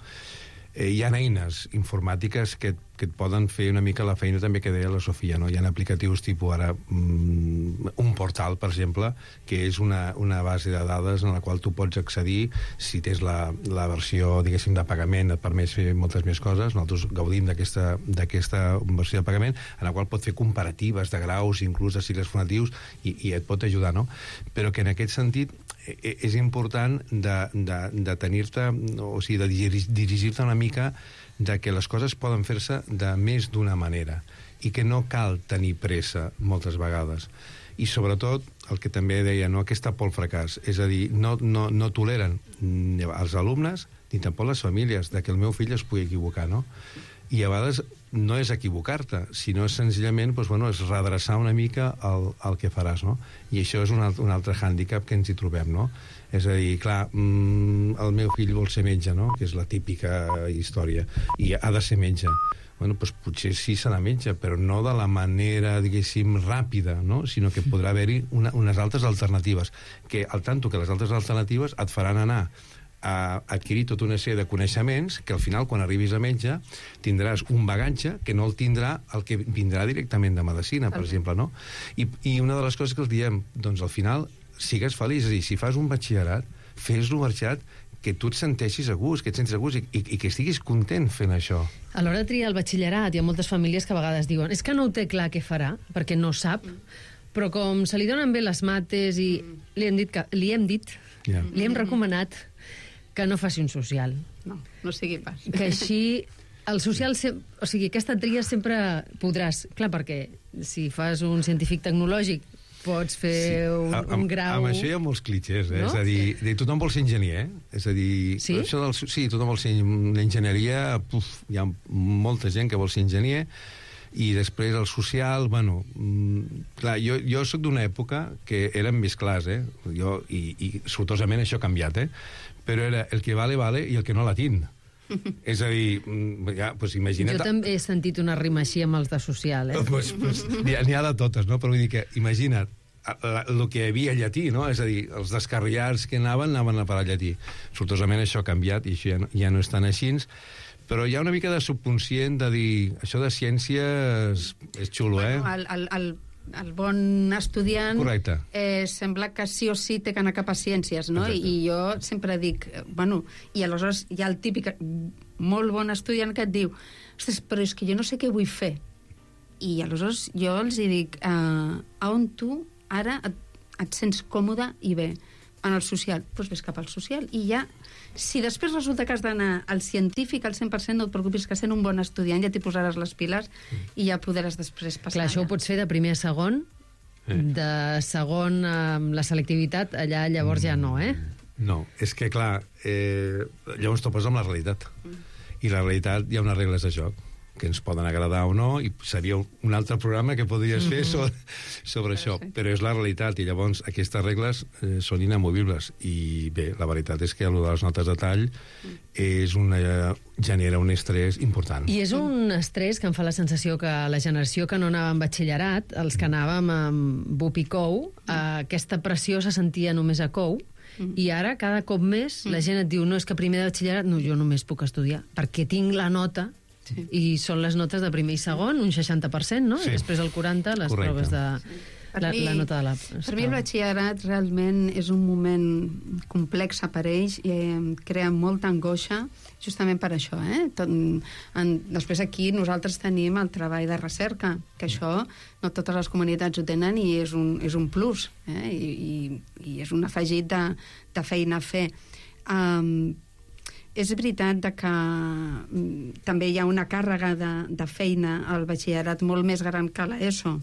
Hi ha eines informàtiques que et poden fer una mica la feina també que deia la Sofia, no? Hi ha aplicatius tipus ara un portal, per exemple, que és una base de dades en la qual tu pots accedir si tens la versió, diguéssim, de pagament, et permet fer moltes més coses. Nosaltres gaudim d'aquesta versió de pagament, en la qual pot fer comparatives de graus, inclús de cicles formatius, i et pot ajudar, no? Però que en aquest sentit és important de tenir-te, o sigui, de dirigir-te una mica de que les coses poden fer-se de més d'una manera i que no cal tenir pressa moltes vegades, I sobretot, el que també deia, no, aquesta por al fracàs, és a dir, no toleren els alumnes ni tampoc les famílies de que el meu fill es pugui equivocar, no? I a vegades no és equivocar-te, sinó és senzillament és redreçar una mica el que faràs, no? I això és un altre hàndicap que ens hi trobem, no? És a dir, clar, el meu fill vol ser metge, no? Que és la típica història, i ha de ser metge. Doncs potser sí serà metge, però no de la manera, diguéssim, ràpida, no? Sinó que podrà haver-hi unes altres alternatives, que al tanto que les altres alternatives et faran anar a adquirir tota una sèrie de coneixements que al final, quan arribis a metge, tindràs un bagatge que no el tindrà el que vindrà directament de medicina, per exemple, no? I una de les coses que els diem, doncs al final, sigues feliç, és a dir, si fas un batxillerat, fes-lo batxillerat que tu et senteixis a gust, que et sentis a gust i que estiguis content fent això. A l'hora de triar el batxillerat, hi ha moltes famílies que a vegades diuen és que no ho té clar què farà, perquè no sap, però com se li donen bé les mates i li hem recomanat que no faci un social. No sigui pas. Que així el social, o sigui, aquesta tria sempre podràs... Clar, perquè si fas un científic tecnològic pots fer un grau... Amb això hi ha molts clitxers, no? És a dir, tothom vol ser enginyer, és a dir... Sí? Sí, tothom vol ser l'enginyeria, hi ha molta gent que vol ser enginyer, i després el social, clar, jo soc d'una època que érem més clars, i sortosament això ha canviat, però era el que vale, vale, i el que no la tinc. És a dir, imagina't... Jo també he sentit una rima així amb els de social, N'hi ha de totes, no? Però vull dir que, imagina't, el que hi havia llatí, no? És a dir, els descarriats que anaven a parar llatí. Sortosament això ha canviat i això ja no és tan així, però hi ha una mica de subconscient de dir això de ciència és xulo, El bon estudiant sembla que sí o sí té que anar cap a ciències, no? I jo sempre dic, i aleshores hi ha el típic molt bon estudiant que et diu ostres, però és que jo no sé què vull fer. I aleshores jo els dic on tu ara et sents còmode i bé? En el social, doncs ves cap al social. I ja, si després resulta que has d'anar al científic al 100%, no et preocupis, que sent un bon estudiant ja t'hi posaràs les piles i ja podràs després passar. Clar, això ho pots fer de primer a segon, de segon amb la selectivitat, allà llavors ja no, No, és que clar, llavors topes amb la realitat. I la realitat hi ha unes regles de joc que ens poden agradar o no, i seria un altre programa que podries fer sobre això, però és la realitat, i llavors aquestes regles són inamovibles, i bé, la veritat és que allò de les notes de tall genera un estrès important. I és un estrès que em fa la sensació que la generació que no anava en batxillerat, els que anàvem amb BUP i COU, aquesta pressió se sentia només a COU, i ara, cada cop més, la gent et diu no, és que primer de batxillerat, no, jo només puc estudiar, perquè tinc la nota. I són les notes de primer i segon, un 60%, no? I després el 40%, les proves de... La nota de la... Per mi el batxillerat realment és un moment complex per ells i crea molta angoixa, justament per això, Després aquí nosaltres tenim el treball de recerca, que això no totes les comunitats ho tenen i és un plus, i és un afegit de feina a fer. És veritat que també hi ha una càrrega de feina al batxillerat molt més gran que l'ESO.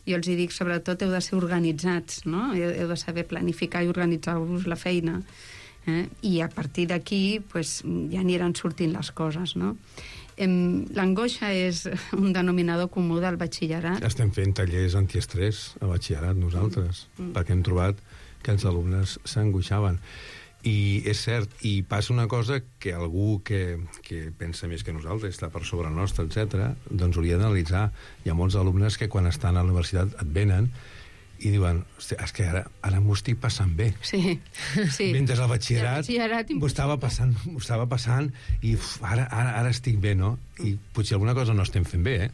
Jo els dic, sobretot, heu de ser organitzats, no? Heu de saber planificar i organitzar-vos la feina. I a partir d'aquí ja aniran sortint les coses, no? L'angoixa és un denominador comú del batxillerat. Estem fent tallers antiestrès a batxillerat nosaltres, perquè hem trobat que els alumnes s'angoixaven. I és cert, i passa una cosa que algú que pensa més que nosaltres, està per sobre nostre, etc., doncs hauria d'analitzar. Hi ha molts alumnes que quan estan a la universitat et venen i diuen, hòstia, és que ara m'ho estic passant bé. Sí. Mentre al batxillerat m'ho estava passant i ara estic bé, no? I potser alguna cosa no estem fent bé,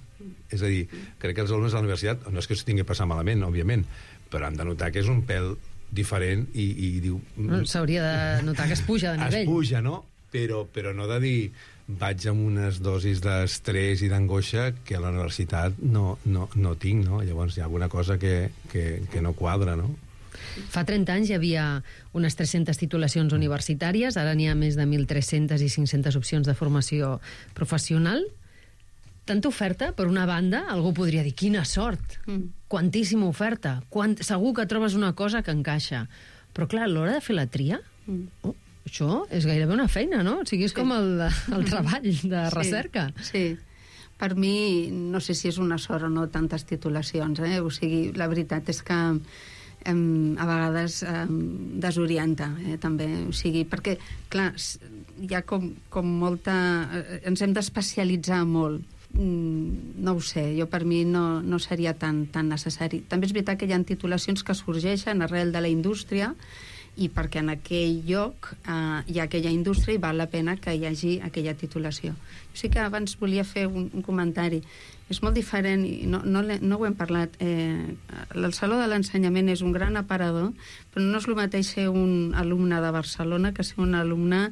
És a dir, crec que els alumnes de la universitat, no és que s'ho tingui passat malament, òbviament, però han de notar que és un pèl diferent i diu... S'hauria de notar que es puja de nivell. Es puja, no? Però no de dir vaig amb unes dosis d'estrès i d'angoixa que a la universitat no tinc, no? Llavors hi ha alguna cosa que no quadra, no? Fa 30 anys hi havia unes 300 titulacions universitàries, ara n'hi ha més de 1.300 i 500 opcions de formació professional. tanta oferta, per una banda, algú podria dir, quina sort, quantíssima oferta, segur que trobes una cosa que encaixa. Però clar, a l'hora de fer la tria, això és gairebé una feina, no? O sigui, és com el treball de recerca. Sí. Per mi, no sé si és una sort o no, tantes titulacions, O sigui, la veritat és que a vegades desorienta, també. O sigui, perquè, clar, hi ha com molta... Ens hem d'especialitzar molt. No ho sé, jo per mi no seria tan necessari. També és veritat que hi ha titulacions que sorgeixen arrel de la indústria i perquè en aquell lloc hi ha aquella indústria i val la pena que hi hagi aquella titulació. Jo sí que abans volia fer un comentari. És molt diferent, i no ho hem parlat. El Saló de l'Ensenyament és un gran aparador, però no és el mateix ser un alumne de Barcelona que ser un alumne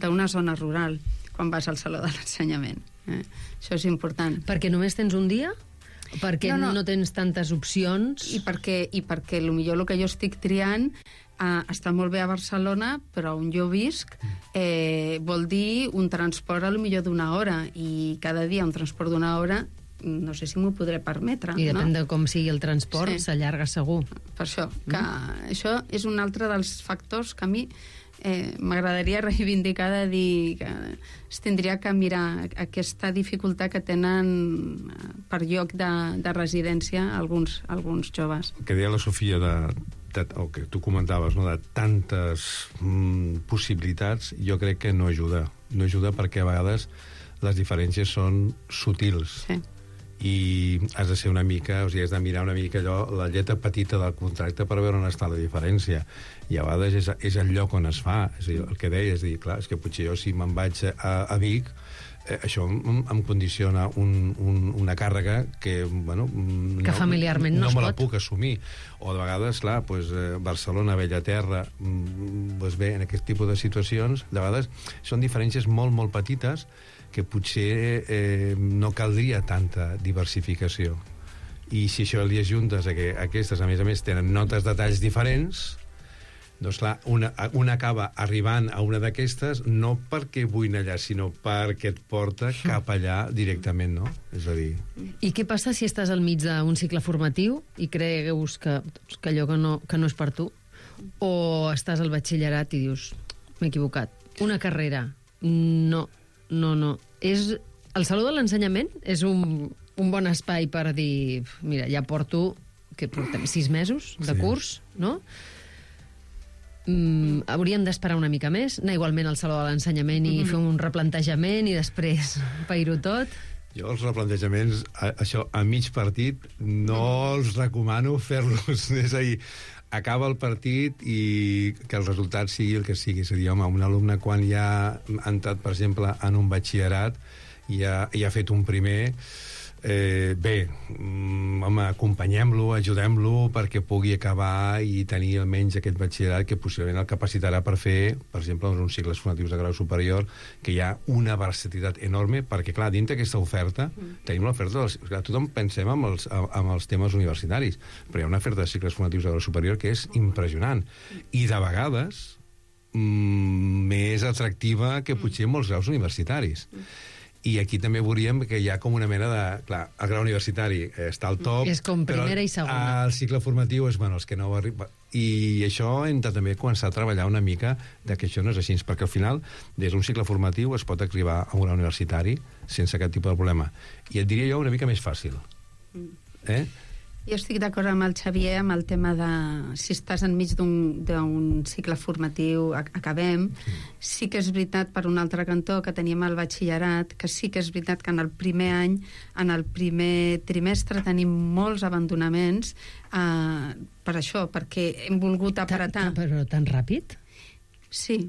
d'una zona rural quan vas al Saló de l'Ensenyament. Això és important. Perquè només tens un dia? Perquè no tens tantes opcions? I perquè potser el que jo estic triant està molt bé a Barcelona, però on jo visc vol dir un transport potser d'una hora, i cada dia un transport d'una hora no sé si m'ho podré permetre. I depèn de com sigui el transport, s'allarga segur. Per això, que això és un altre dels factors que a mi m'agradaria reivindicar, de dir que es tindria que mirar aquesta dificultat que tenen per lloc de residència alguns joves. El que deia la Sofia o que tu comentaves, de tantes possibilitats, jo crec que no ajuda. No ajuda perquè a vegades les diferències són sutils. Sí. I has de ser una mica, o sigui, has de mirar una mica allò, la lletra petita del contracte per veure on està la diferència. I a vegades és el lloc on es fa. És a dir, el que deia és dir, clar, és que potser jo si me'n vaig a Vic, això em condiciona una càrrega que, que familiarment no me la puc assumir. O de vegades, clar, Barcelona, Bellaterra, bé, en aquest tipus de situacions, de vegades són diferències molt, molt petites que potser no caldria tanta diversificació. I si això li ajuntes que aquestes, a més, tenen notes de talls diferents, doncs clar, una acaba arribant a una d'aquestes no perquè vull anar allà, sinó perquè et porta cap allà directament, no? És a dir... I què passa si estàs al mig d'un cicle formatiu i creus que allò que no és per tu? O estàs al batxillerat i dius, m'he equivocat, una carrera, no. El Saló de l'Ensenyament és un bon espai per dir, mira, ja portem 6 mesos de curs, no? Hauríem d'esperar una mica més, anar igualment al Saló de l'Ensenyament i fer un replantejament i després pair-ho tot. Jo els replantejaments, això, a mig partit, no els recomano fer-los. És a dir, acaba el partit i que el resultat sigui el que sigui. És a dir, home, un alumne quan ja ha entrat, per exemple, en un batxillerat i ha fet un primer... acompanyem-lo, ajudem-lo perquè pugui acabar i tenir almenys aquest batxillerat que possiblement el capacitarà per fer, per exemple, uns cicles formatius de grau superior, que hi ha una versatilitat enorme, perquè, clar, dintre d'aquesta oferta tenim l'oferta tothom pensem amb els temes universitaris, però hi ha una oferta de cicles formatius de grau superior que és impressionant, i de vegades més atractiva que potser molts graus universitaris. I aquí també veuríem que hi ha com una mena de... Clar, el grau universitari està al top... És com primera i segona. El cicle formatiu és, els que no arriben... I això hem de també començar a treballar una mica de que això no és així, perquè al final, des d'un cicle formatiu es pot arribar a un grau universitari sense cap tipus de problema. I et diria jo una mica més fàcil. Jo estic d'acord amb el Xavier amb el tema de si estàs enmig d'un cicle formatiu, acabem. Sí que és veritat, per un altre cantó, que teníem el batxillerat, que sí que és veritat que en el primer any, en el primer trimestre, tenim molts abandonaments per això, perquè hem volgut apretar. Però tan ràpid? Sí,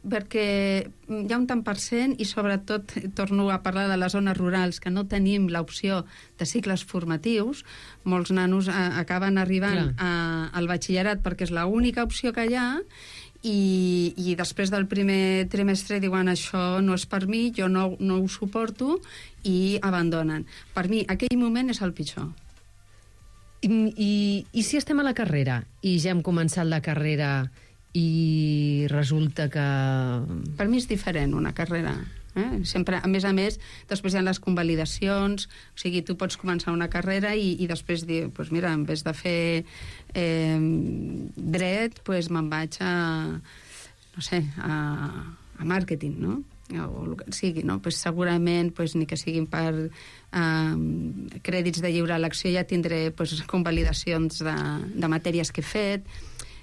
perquè hi ha un tant per cent i sobretot torno a parlar de les zones rurals que no tenim l'opció de cicles formatius. Molts nanos acaben arribant al batxillerat perquè és l'única opció que hi ha i després del primer trimestre diuen això no és per mi, jo no ho suporto i abandonen. Per mi aquell moment és el pitjor. I si estem a la carrera i ja hem començat la carrera i resulta que... Per mi és diferent una carrera. Sempre, a més, després hi ha les convalidacions, o sigui, tu pots començar una carrera i després dir, doncs mira, en vez de fer dret, doncs me'n vaig a màrqueting, no? O el que sigui, no? Pues segurament, pues, ni que siguin per crèdits de lliure elecció, ja tindré convalidacions de matèries que he fet.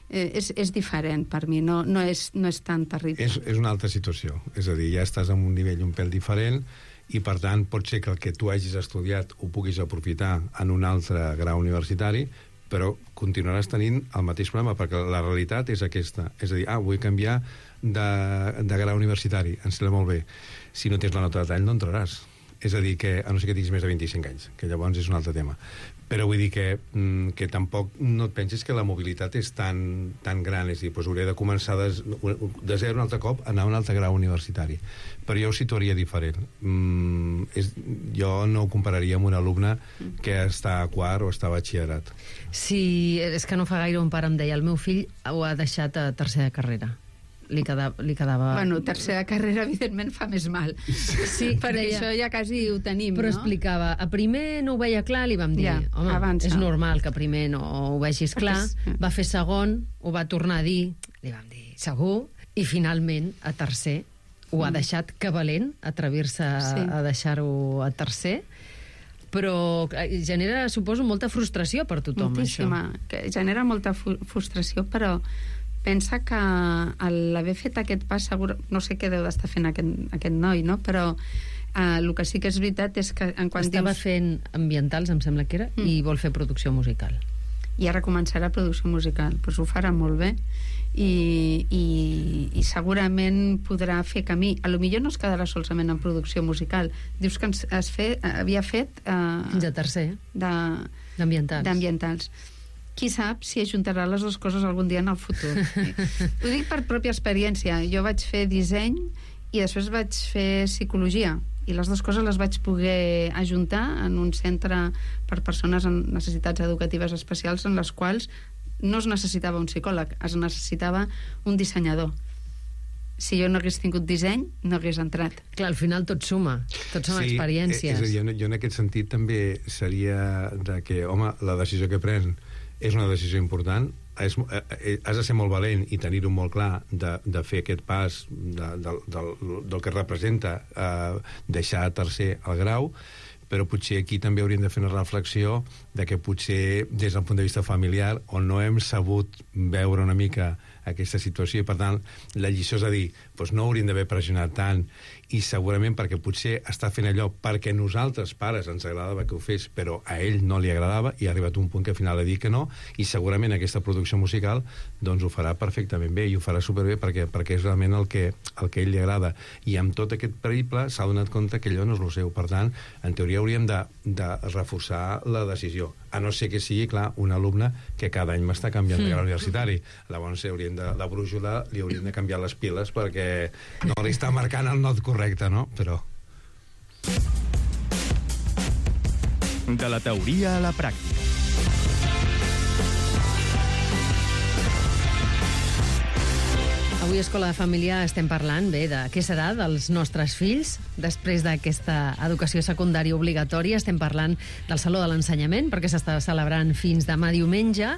És diferent per mi, no és tan terrible. És una altra situació, és a dir, ja estàs en un nivell un pèl diferent i per tant pot ser que el que tu hagis estudiat ho puguis aprofitar en un altre grau universitari, però continuaràs tenint el mateix problema, perquè la realitat és aquesta, és a dir, vull canviar de grau universitari, em sembla molt bé. Si no tens la nota de tall no entraràs. És a dir, que a no ser que tinguis més de 25 anys, que llavors és un altre tema. Però vull dir que tampoc no et pensis que la mobilitat és tan gran, és a dir, hauré de començar de zero un altre cop, anar a un altre grau universitari. Però jo ho situaria diferent. Jo no ho compararia amb un alumne que està a quart o està a batxillerat. Sí, és que no fa gaire un pare em deia, el meu fill ho ha deixat a tercera carrera. Li quedava... Bueno, tercera carrera, evidentment, fa més mal. Sí, perquè deia, això ja quasi ho tenim, però no? explicava, a primer no ho veia clar, li vam dir, home, avança. És normal que a primer no ho vegis clar. Va fer segon, ho va tornar a dir, li vam dir, segur, i finalment, a tercer, ho ha deixat, que valent, atrevir-se a deixar-ho a tercer, però genera, suposo, molta frustració per tothom, moltíssima, això. Que genera molta frustració, però pensa que l'haver fet aquest pas, segur, no sé què deu d'estar fent aquest noi, no? Però el que sí que és veritat és que estava fent ambientals, em sembla que era, i vol fer producció musical. I ara començarà producció musical, doncs ho farà molt bé i segurament podrà fer camí. A lo millor no es quedarà solament en producció musical. Dius que havia fet fins a tercer d'ambientals. Qui sap si ajuntarà les dues coses algun dia en el futur. Ho dic per pròpia experiència. Jo vaig fer disseny i després vaig fer psicologia, i les dues coses les vaig poder ajuntar en un centre per persones amb necessitats educatives especials, en les quals no es necessitava un psicòleg, es necessitava un dissenyador. Si jo no hagués tingut disseny, no hagués entrat. Clar, al final tot suma, tot són experiències. És a dir, jo en aquest sentit també seria de que, home, la decisió que pren és una decisió important, has de ser molt valent i tenir-ho molt clar de fer aquest pas del que representa deixar a tercer el grau, però potser aquí també hauríem de fer una reflexió de que potser des del punt de vista familiar on no hem sabut veure una mica aquesta situació i per tant la lliçó és a dir, doncs no hauríem d'haver pressionat tant i segurament perquè potser està fent allò perquè nosaltres pares ens agradava que ho fes però a ell no li agradava i ha arribat un punt que al final ha dit que no i segurament aquesta producció musical doncs ho farà perfectament bé i ho farà superbé perquè és realment el que a ell li agrada i amb tot aquest periple s'ha donat compte que allò no és el seu, per tant en teoria hauríem de reforçar la decisió, a no ser que sigui clar, un alumne que cada any m'està canviant de grau universitari, llavors la brújula li hauríem de canviar les piles perquè no li està marcant el not correcte, no? Però... De la teoria a la pràctica. Avui a Escola de Família estem parlant bé de què serà dels nostres fills després d'aquesta educació secundària obligatòria. Estem parlant del Saló de l'Ensenyament perquè s'està celebrant fins demà diumenge.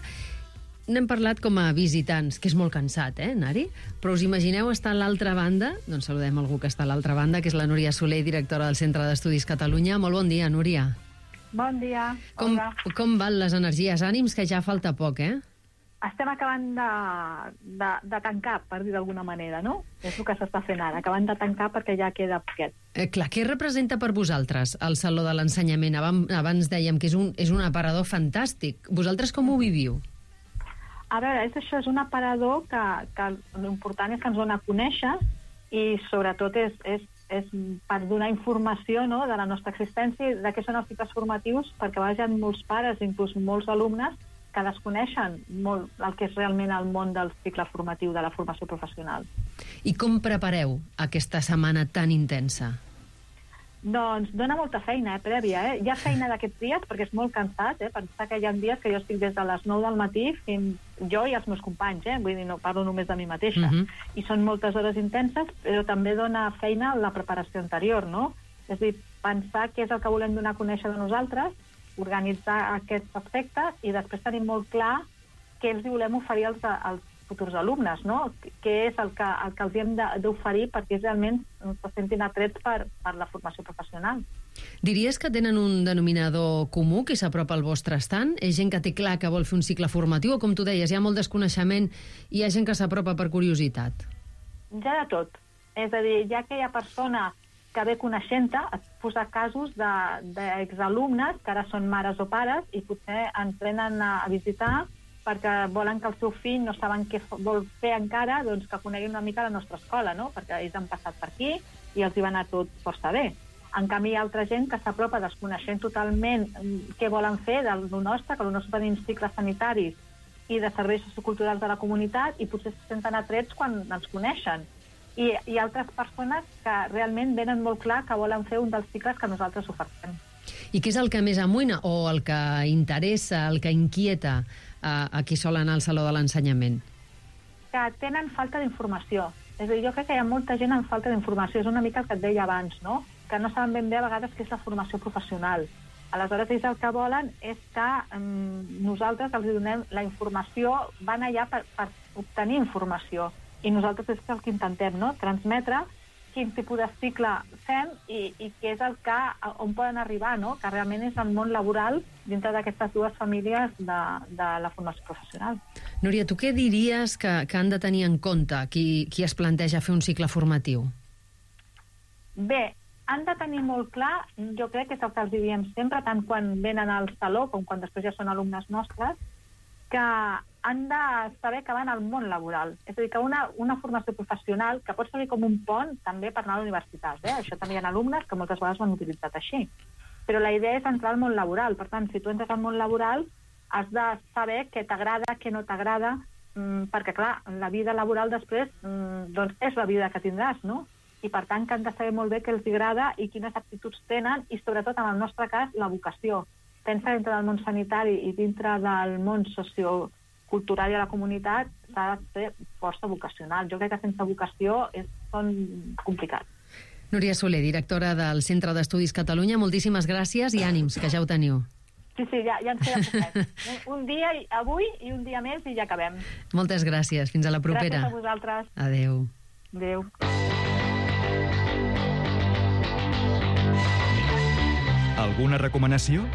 N'hem parlat com a visitants, que és molt cansat, anar-hi? Però us imagineu estar a l'altra banda? Doncs saludem algú que està a l'altra banda, que és la Núria Soler, directora del Centre d'Estudis Catalunya. Molt bon dia, Núria. Bon dia. Com van les energies? Ànims, que ja falta poc, Estem acabant de tancar, per dir d'alguna manera, no? És el que s'està fent ara, acabant de tancar perquè ja queda poquet. Clar, què representa per vosaltres el Saló de l'Ensenyament? Abans dèiem que és un aparador fantàstic. Vosaltres com ho viviu? A veure, això és un aparador que l'important és que ens dona a conèixer i sobretot és per donar informació, no?, de la nostra existència i de què són els cicles formatius, perquè a vegades hi ha molts pares, inclús molts alumnes, que desconeixen molt el que és realment el món del cicle formatiu, de la formació professional. I com prepareu aquesta setmana tan intensa? Doncs dona molta feina, prèvia. Hi ha feina d'aquests dies, perquè és molt cansat, pensar que hi ha dies que jo estic des de les 9 del matí fins jo i els meus companys, vull dir, no parlo només de mi mateixa. I són moltes hores intenses, però també dona feina la preparació anterior, no? És a dir, pensar què és el que volem donar a conèixer de nosaltres, organitzar aquests aspectes i després tenir molt clar què els volem oferir als futurs alumnes, no? Què és el que els hem d'oferir perquè realment se sentin atrets per la formació professional. Diries que tenen un denominador comú qui s'apropa al vostre estant? És gent que té clar que vol fer un cicle formatiu o, com tu deies, hi ha molt desconeixement i hi ha gent que s'apropa per curiositat? Ja de tot. És a dir, ja que hi ha persones que ve coneixent-te, et posa casos d'exalumnes que ara són mares o pares i potser ens venen a visitar perquè volen que el seu fill no saben què vol fer encara, doncs que coneguin una mica la nostra escola, no? Perquè ells han passat per aquí i els hi va anar tot força bé. En canvi, hi ha altra gent que s'apropa desconeixent totalment què volen fer del nostre, que el nostre tenim cicles sanitaris i de serveis socioculturals de la comunitat i potser se senten atrets quan ens coneixen. I hi ha altres persones que realment venen molt clar que volen fer un dels cicles que nosaltres ofertem. I què és el que més amoïna o el que interessa, el que inquieta a qui sol anar al Saló de l'Ensenyament? Que tenen falta d'informació. És a dir, jo crec que hi ha molta gent amb falta d'informació. És una mica el que et deia abans, no? Que no saben ben bé a vegades què és la formació professional. Aleshores, ells el que volen és que nosaltres els donem la informació, van allà per obtenir informació. I nosaltres és el que intentem, no? Transmetre quin tipus de cicle fem i què és el que, on poden arribar, no? Que realment és el món laboral dintre d'aquestes dues famílies de la formació professional. Núria, tu què diries que han de tenir en compte qui es planteja fer un cicle formatiu? Bé, han de tenir molt clar, jo crec que és el que els diem sempre, tant quan venen al saló com quan després ja són alumnes nostres, que han de saber que van al món laboral. És a dir, que una formació professional que pot servir com un pont també per anar a la universitat. Això també hi ha alumnes que moltes vegades ho han utilitzat així. Però la idea és entrar al món laboral. Per tant, si tu entres al món laboral, has de saber què t'agrada, què no t'agrada, perquè, clar, la vida laboral després doncs és la vida que tindràs, no? I, per tant, que han de saber molt bé què els agrada i quines aptituds tenen i, sobretot, en el nostre cas, la vocació. Pensa dintre del món sanitari i dintre del món sociocultural i a la comunitat s'ha de ser força vocacional. Jo crec que sense vocació són complicats. Núria Soler, directora del Centre d'Estudis Catalunya, moltíssimes gràcies i ànims, que ja ho teniu. Sí, ja ens queda poquet. Un dia avui i un dia més i ja acabem. Moltes gràcies. Fins a la propera. Gràcies a vosaltres. Adéu. Adéu. Alguna recomanació?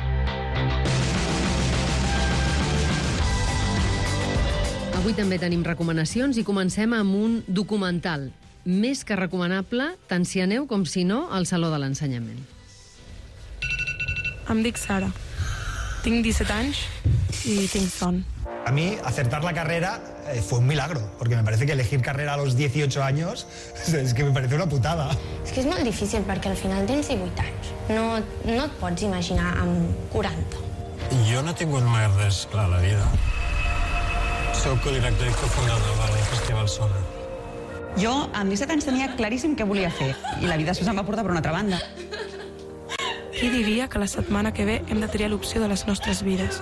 Avui també tenim recomanacions i comencem amb un documental més que recomanable, tant si aneu com si no, al Saló de l'Ensenyament. Em dic Sara. Tinc 17 anys y tinc son. A mí, acertar la carrera fue un milagro, porque me parece que elegir carrera a los 18 años es que me parece una putada. És que és molt difícil perquè al final tens 18 anys. No et pots imaginar amb 40. Jo no he tingut mai res clar a la vida. Soc codirector i cofundador del Festival Sona. Jo, amb 17 anys, tenia claríssim què volia fer, i la vida després em va portar per una altra banda. Qui diria que la setmana que ve hem de triar l'opció de les nostres vides?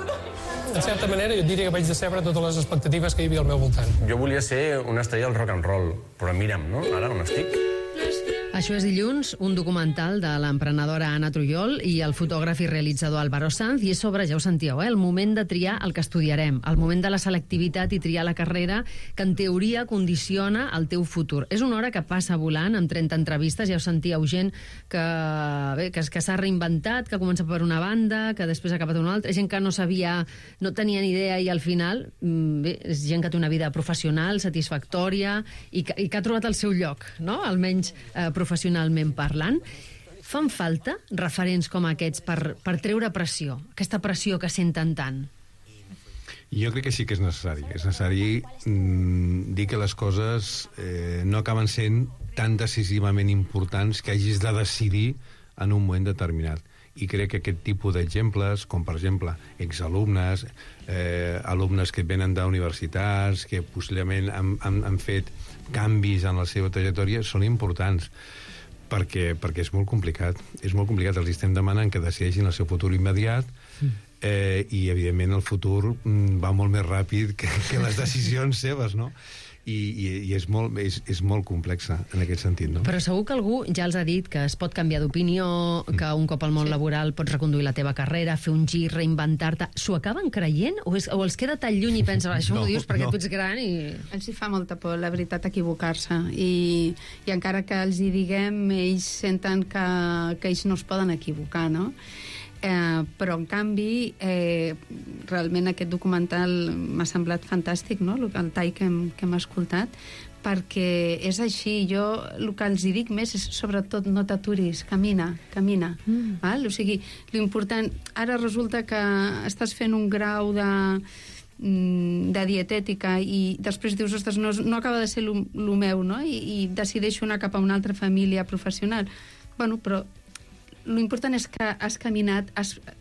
En certa manera, jo diria que vaig decebre totes les expectatives que hi havia al meu voltant. Jo volia ser una estrella del rock and roll, però mira'm, no? Ara on estic? Això és Dilluns, un documental de l'emprenedora Anna Trujol i el fotògraf i realitzador Álvaro Sanz, i és sobre, ja ho sentíeu, el moment de triar el que estudiarem, el moment de la selectivitat i triar la carrera que en teoria condiciona el teu futur. És una hora que passa volant, amb 30 entrevistes, ja ho sentíeu, gent que s'ha reinventat, que comença per una banda, que després ha acabat una altra, gent que no sabia, no tenia ni idea i al final, és gent que té una vida professional, satisfactòria i que ha trobat el seu lloc, no? Almenys professionalment parlant. Fan falta referents com aquests per treure pressió, aquesta pressió que senten tant? Jo crec que sí que és necessari. És necessari dir que les coses no acaben sent tan decisivament importants que hagis de decidir en un moment determinat. I crec que aquest tipus d'exemples, com per exemple exalumnes, alumnes que venen d'universitats, que possiblement han fet canvis en la seva trajectòria, són importants perquè és molt complicat. És molt complicat. Els estem demanant que decideixin el seu futur immediat i, evidentment, el futur va molt més ràpid que les decisions seves, no? I és molt complexa en aquest sentit, no? Però segur que algú ja els ha dit que es pot canviar d'opinió, que un cop al món laboral pots reconduir la teva carrera, fer un gir, reinventar-te. S'ho acaben creient? O els queda tan lluny i pensen, això m'ho dius perquè tu ets gran i... Els hi fa molta por, la veritat, equivocar-se. I encara que els hi diguem, ells senten que ells no es poden equivocar, no? Però, en canvi, realment aquest documental m'ha semblat fantàstic, no?, el tall que hem escoltat, perquè és així. Jo el que els hi dic més és, sobretot, no t'aturis, camina. Val? O sigui, l'important... Ara resulta que estàs fent un grau de dietètica i després dius, ostres, no acaba de ser lo meu, no?, i decideixo anar cap a una altra família professional. Bueno, però l'important és que has caminat,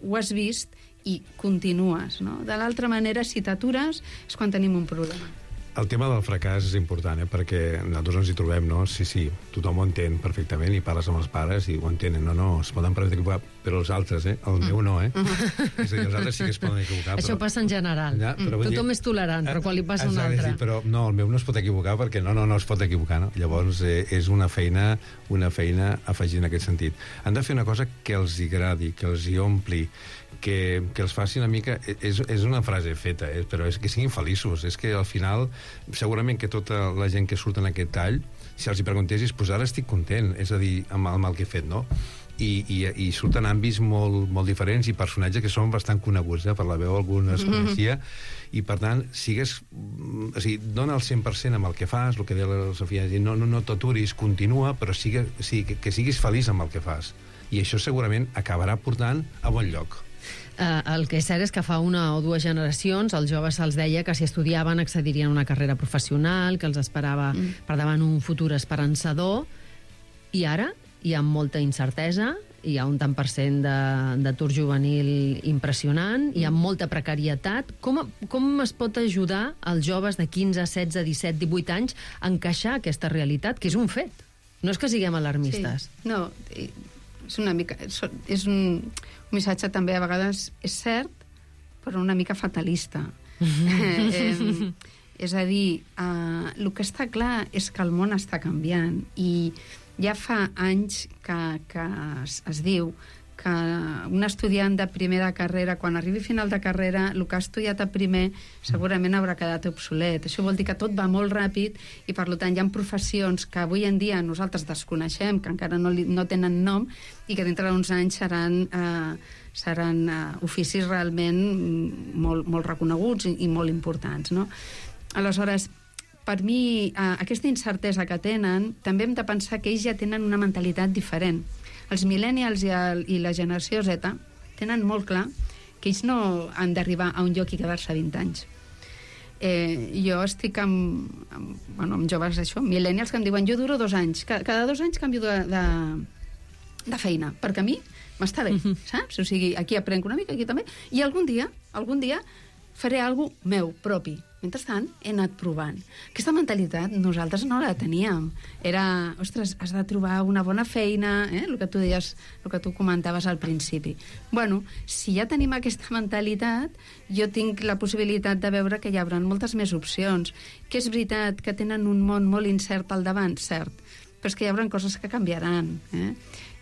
ho has vist i continues, no? De l'altra manera, si t'atures, és quan tenim un problema. El tema del fracàs és important, perquè nosaltres ens hi trobem, no? Sí, tothom ho entén perfectament i parles amb els pares i ho entenen. No, es poden equivocar, però els altres, el meu no, És a dir, els altres sí que es poden equivocar. Això passa en general. Ja, tothom és tolerant, però quan li passa un altre... Però no, el meu no es pot equivocar perquè no es pot equivocar, no? Llavors és una feina afegir en aquest sentit. Han de fer una cosa que els hi agradi, que els hi ompli, que els faci una mica... És una frase feta, però és que siguin feliços. És que al final, segurament que tota la gent que surt en aquest tall, si els hi preguntessis, doncs ara estic content, és a dir, amb el que he fet, no? I surten àmbits molt diferents i personatges que són bastant coneguts, per la veu algun es coneixia, i per tant, dona el 100% amb el que fas, el que deia la Sofia, no t'aturis, continua, però que siguis feliç amb el que fas. I això segurament acabarà portant a bon lloc. El que és cert és que fa una o dues generacions als joves se'ls deia que si estudiaven accedirien a una carrera professional, que els esperava per davant un futur esperançador, i ara hi ha molta incertesa, hi ha un tant per cent d'atur juvenil impressionant, hi ha molta precarietat. Com es pot ajudar als joves de 15, 16, 17, 18 anys a encaixar aquesta realitat, que és un fet? No és que siguem alarmistes. Sí. No, és una mica... És un missatge també a vegades és cert, però una mica fatalista. És a dir, el que està clar és que el món està canviant i ja fa anys que es diu que un estudiant de primer de carrera, quan arribi a final de carrera, el que ha estudiat a primer segurament haurà quedat obsolet. Això vol dir que tot va molt ràpid i, per tant, hi ha professions que avui en dia nosaltres desconeixem, que encara no tenen nom i que dintre d'uns anys seran oficis realment molt reconeguts i molt importants, no? Aleshores, per mi, aquesta incertesa que tenen, també hem de pensar que ells ja tenen una mentalitat diferent. Els millennials i la generació Z tenen molt clar que ells no han d'arribar a un lloc i quedar-se 20 anys. Jo estic amb joves, millennials, que em diuen jo duro 2 anys. Cada 2 anys canvio de feina, perquè a mi m'està bé, saps? O sigui, aquí aprenc una mica, aquí també, i algun dia faré alguna cosa meu, propi. Mentrestant, he anat provant. Aquesta mentalitat nosaltres no la teníem. Era, ostres, has de trobar una bona feina, el que tu deies, el que tu comentaves al principi. Bueno, si ja tenim aquesta mentalitat, jo tinc la possibilitat de veure que hi haurà moltes més opcions. Que és veritat que tenen un món molt incert al davant, cert, però és que hi haurà coses que canviaran,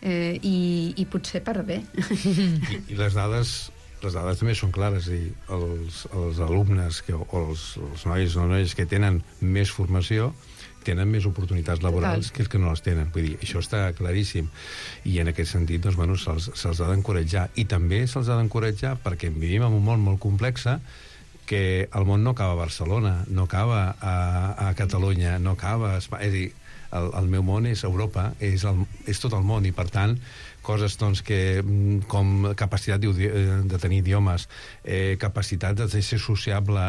i potser per bé. I les dades també són clares, és a dir, els alumnes o els nois o noies que tenen més formació tenen més oportunitats laborals que els que no les tenen. Vull dir, això està claríssim. I en aquest sentit, doncs, bueno, se'ls ha d'encoratjar. I també se'ls ha d'encoratjar perquè vivim en un món molt complex, que el món no acaba a Barcelona, no acaba a Catalunya, no acaba a Espanya. És a dir, el meu món és Europa, és tot el món, i per tant coses doncs, com capacitat de tenir idiomes, capacitat de ser sociable,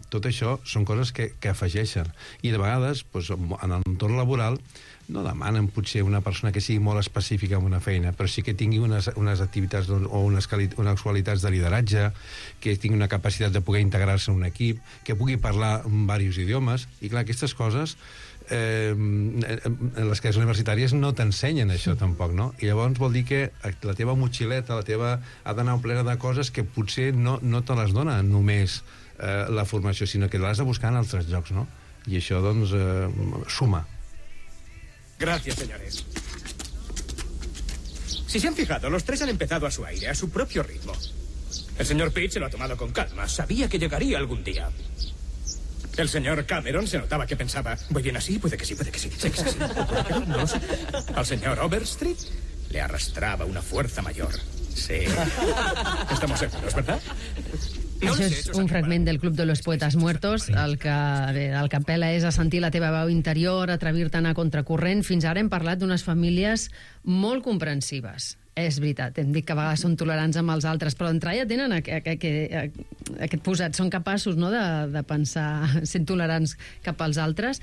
tot això són coses que afegeixen. I de vegades, doncs, en l'entorn laboral, no demanen potser una persona que sigui molt específica en una feina, però sí que tingui unes activitats o unes qualitats de lideratge, que tingui una capacitat de poder integrar-se en un equip, que pugui parlar diversos idiomes, i clar, aquestes coses les classes universitàries no t'ensenyen això tampoc, no? I llavors vol dir que la teva motxileta, ha d'anar plena de coses que potser no te les dona només la formació, sinó que l'has de buscar en altres llocs, no? I això, doncs, suma. Gracias, señores. Si se han fijado, los tres han empezado a su aire, a su propio ritmo. El señor Pitt se lo ha tomado con calma. Sabía que llegaría algún día. El señor Cameron se notaba que pensaba, ¿voy bien así? Puede que sí, puede que sí. Sé que sí. Puede que no, no lo sé. Al señor Overstreet le arrastraba una fuerza mayor. Sí. Estamos seguros, ¿verdad? Això és un fragment del Club de los Poetas Muertos. El que apel·la és a sentir la teva veu interior, atrevir-te a anar contracorrent. Fins ara hem parlat d'unes famílies molt comprensives. És veritat, hem dit que a vegades són tolerants amb els altres, però d'entrada ja tenen aquest posat. Són capaços, no, de pensar, sent tolerants cap als altres.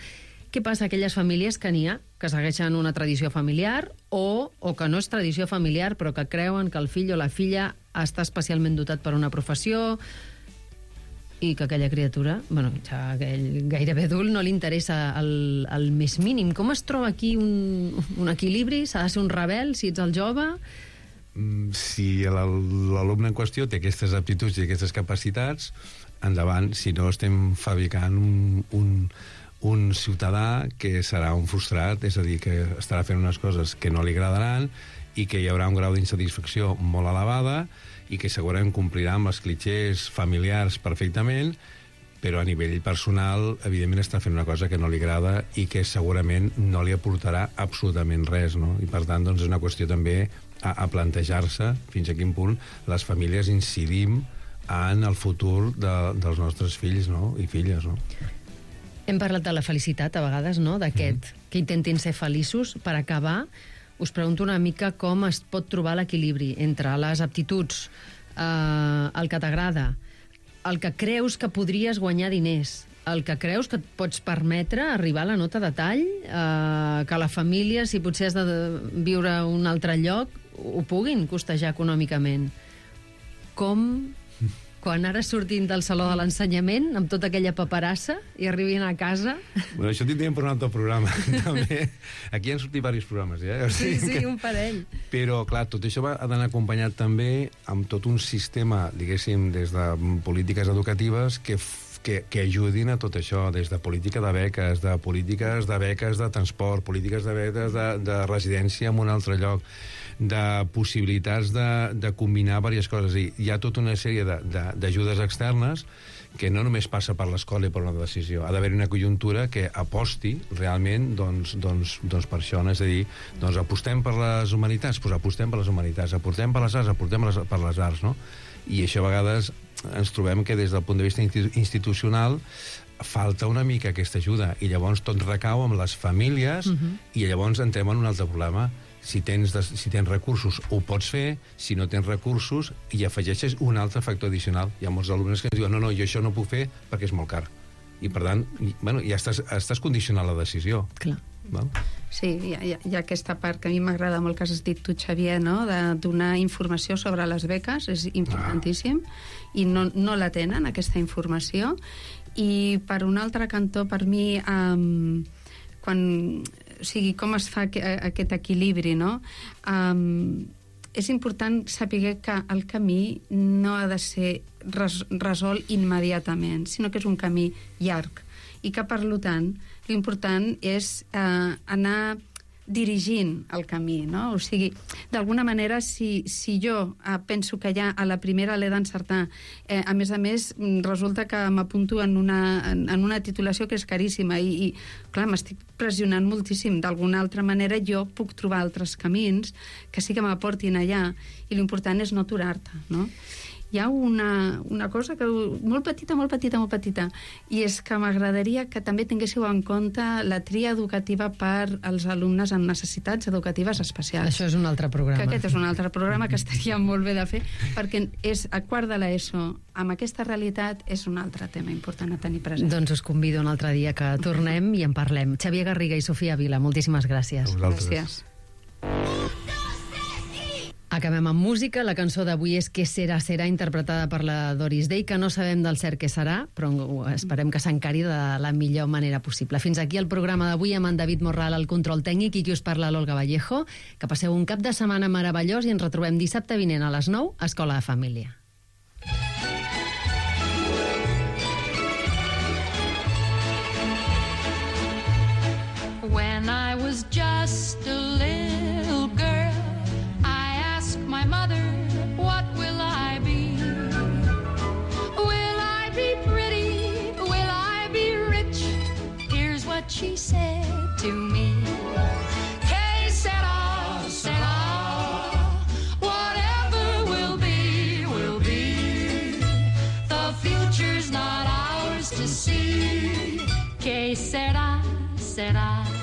Què passa a aquelles famílies que n'hi ha, que segueixen una tradició familiar o que no és tradició familiar, però que creuen que el fill o la filla està especialment dotat per una professió i que aquella criatura, ja gairebé adult, no li interessa el més mínim. Com es troba aquí un equilibri? S'ha de ser un rebel si ets el jove? Si l'alumne en qüestió té aquestes aptituds i aquestes capacitats, endavant. Si no, estem fabricant un ciutadà que serà un frustrat, és a dir, que estarà fent unes coses que no li agradaran i que hi haurà un grau d'insatisfacció molt elevada i que segurament complirà amb els clitxers familiars perfectament, però a nivell personal, evidentment, està fent una cosa que no li agrada i que segurament no li aportarà absolutament res, no? I per tant, doncs, és una qüestió també a plantejar-se fins a quin punt les famílies incidim en el futur dels nostres fills, no? I filles, no? Hem parlat de la felicitat, a vegades, no? D'aquest, que intentin ser feliços. Per acabar, us pregunto una mica com es pot trobar l'equilibri entre les aptituds, el que t'agrada, el que creus que podries guanyar diners, el que creus que et pots permetre arribar a la nota de tall, que la família, si potser has de viure a un altre lloc, ho puguin costejar econòmicament. Com, quan ara sortim del saló de l'ensenyament, amb tota aquella paperassa, i arribin a casa... Bueno, això tindríem per un altre programa, també. Aquí han sortit diversos programes, ja. Sí, un parell. Però, clar, tot això ha d'anar acompanyat també amb tot un sistema, diguéssim, des de polítiques educatives que ajudin a tot això, des de política de beques, de polítiques de beques de transport, polítiques de beques de residència en un altre lloc, de possibilitats de combinar diverses coses. I hi ha tota una sèrie d'ajudes externes que no només passa per l'escola i per una decisió. Ha d'haver una conjuntura que aposti realment doncs per això. És a dir, doncs apostem per les humanitats, doncs apostem per les humanitats, apostem per les arts, apostem per les arts, no? I això a vegades ens trobem que des del punt de vista institucional falta una mica aquesta ajuda i llavors tot recau amb les famílies i llavors entrem en un altre problema. Si tens recursos ho pots fer, si no tens recursos i afegeixes un altre factor addicional. Hi ha molts alumnes que ens diuen no, jo això no puc fer perquè és molt car. I per tant, ja estàs condicionant la decisió. Clar. Val? Sí, hi ha aquesta part que a mi m'agrada molt que has dit tu, Xavier, no? De donar informació sobre les beques, és importantíssim, i no la tenen, aquesta informació. I per un altre cantó, per mi, com es fa aquest equilibri, no? És important saber que el camí no ha de ser resolt immediatament, sinó que és un camí llarg i que, per tant, l'important és anar dirigint el camí, no? O sigui, d'alguna manera, si jo penso que ja a la primera l'he d'encertar, a més, resulta que m'apunto en una titulació que és caríssima i clar, m'estic pressionant moltíssim. D'alguna altra manera, jo puc trobar altres camins que sí que m'aportin allà, i l'important és no aturar-te, no? Hi ha una cosa que molt petita, i és que m'agradaria que també tinguéssiu en compte la tria educativa per als alumnes amb necessitats educatives especials. Això és un altre programa. Que aquest és un altre programa que estaria molt bé de fer, perquè és a quart de l'ESO, amb aquesta realitat, és un altre tema important a tenir present. Doncs us convido un altre dia que tornem i en parlem. Xavier Garriga i Sofia Vila, moltíssimes gràcies. Gràcies. Acabem amb música. La cançó d'avui és Que serà, serà, interpretada per la Doris Day, que no sabem del cert què serà, però esperem que s'encari de la millor manera possible. Fins aquí el programa d'avui amb en David Morral al control tècnic i qui us parla, l'Olga Vallejo. Que passeu un cap de setmana meravellós i ens retrobem dissabte vinent a les 9 a Escola de Família. When I was just a little girl, I asked my mother, what will I be? Will I be pretty? Will I be rich? Here's what she said to me. Que sera, sera. Whatever will be, will be. The future's not ours to see. Que sera, sera.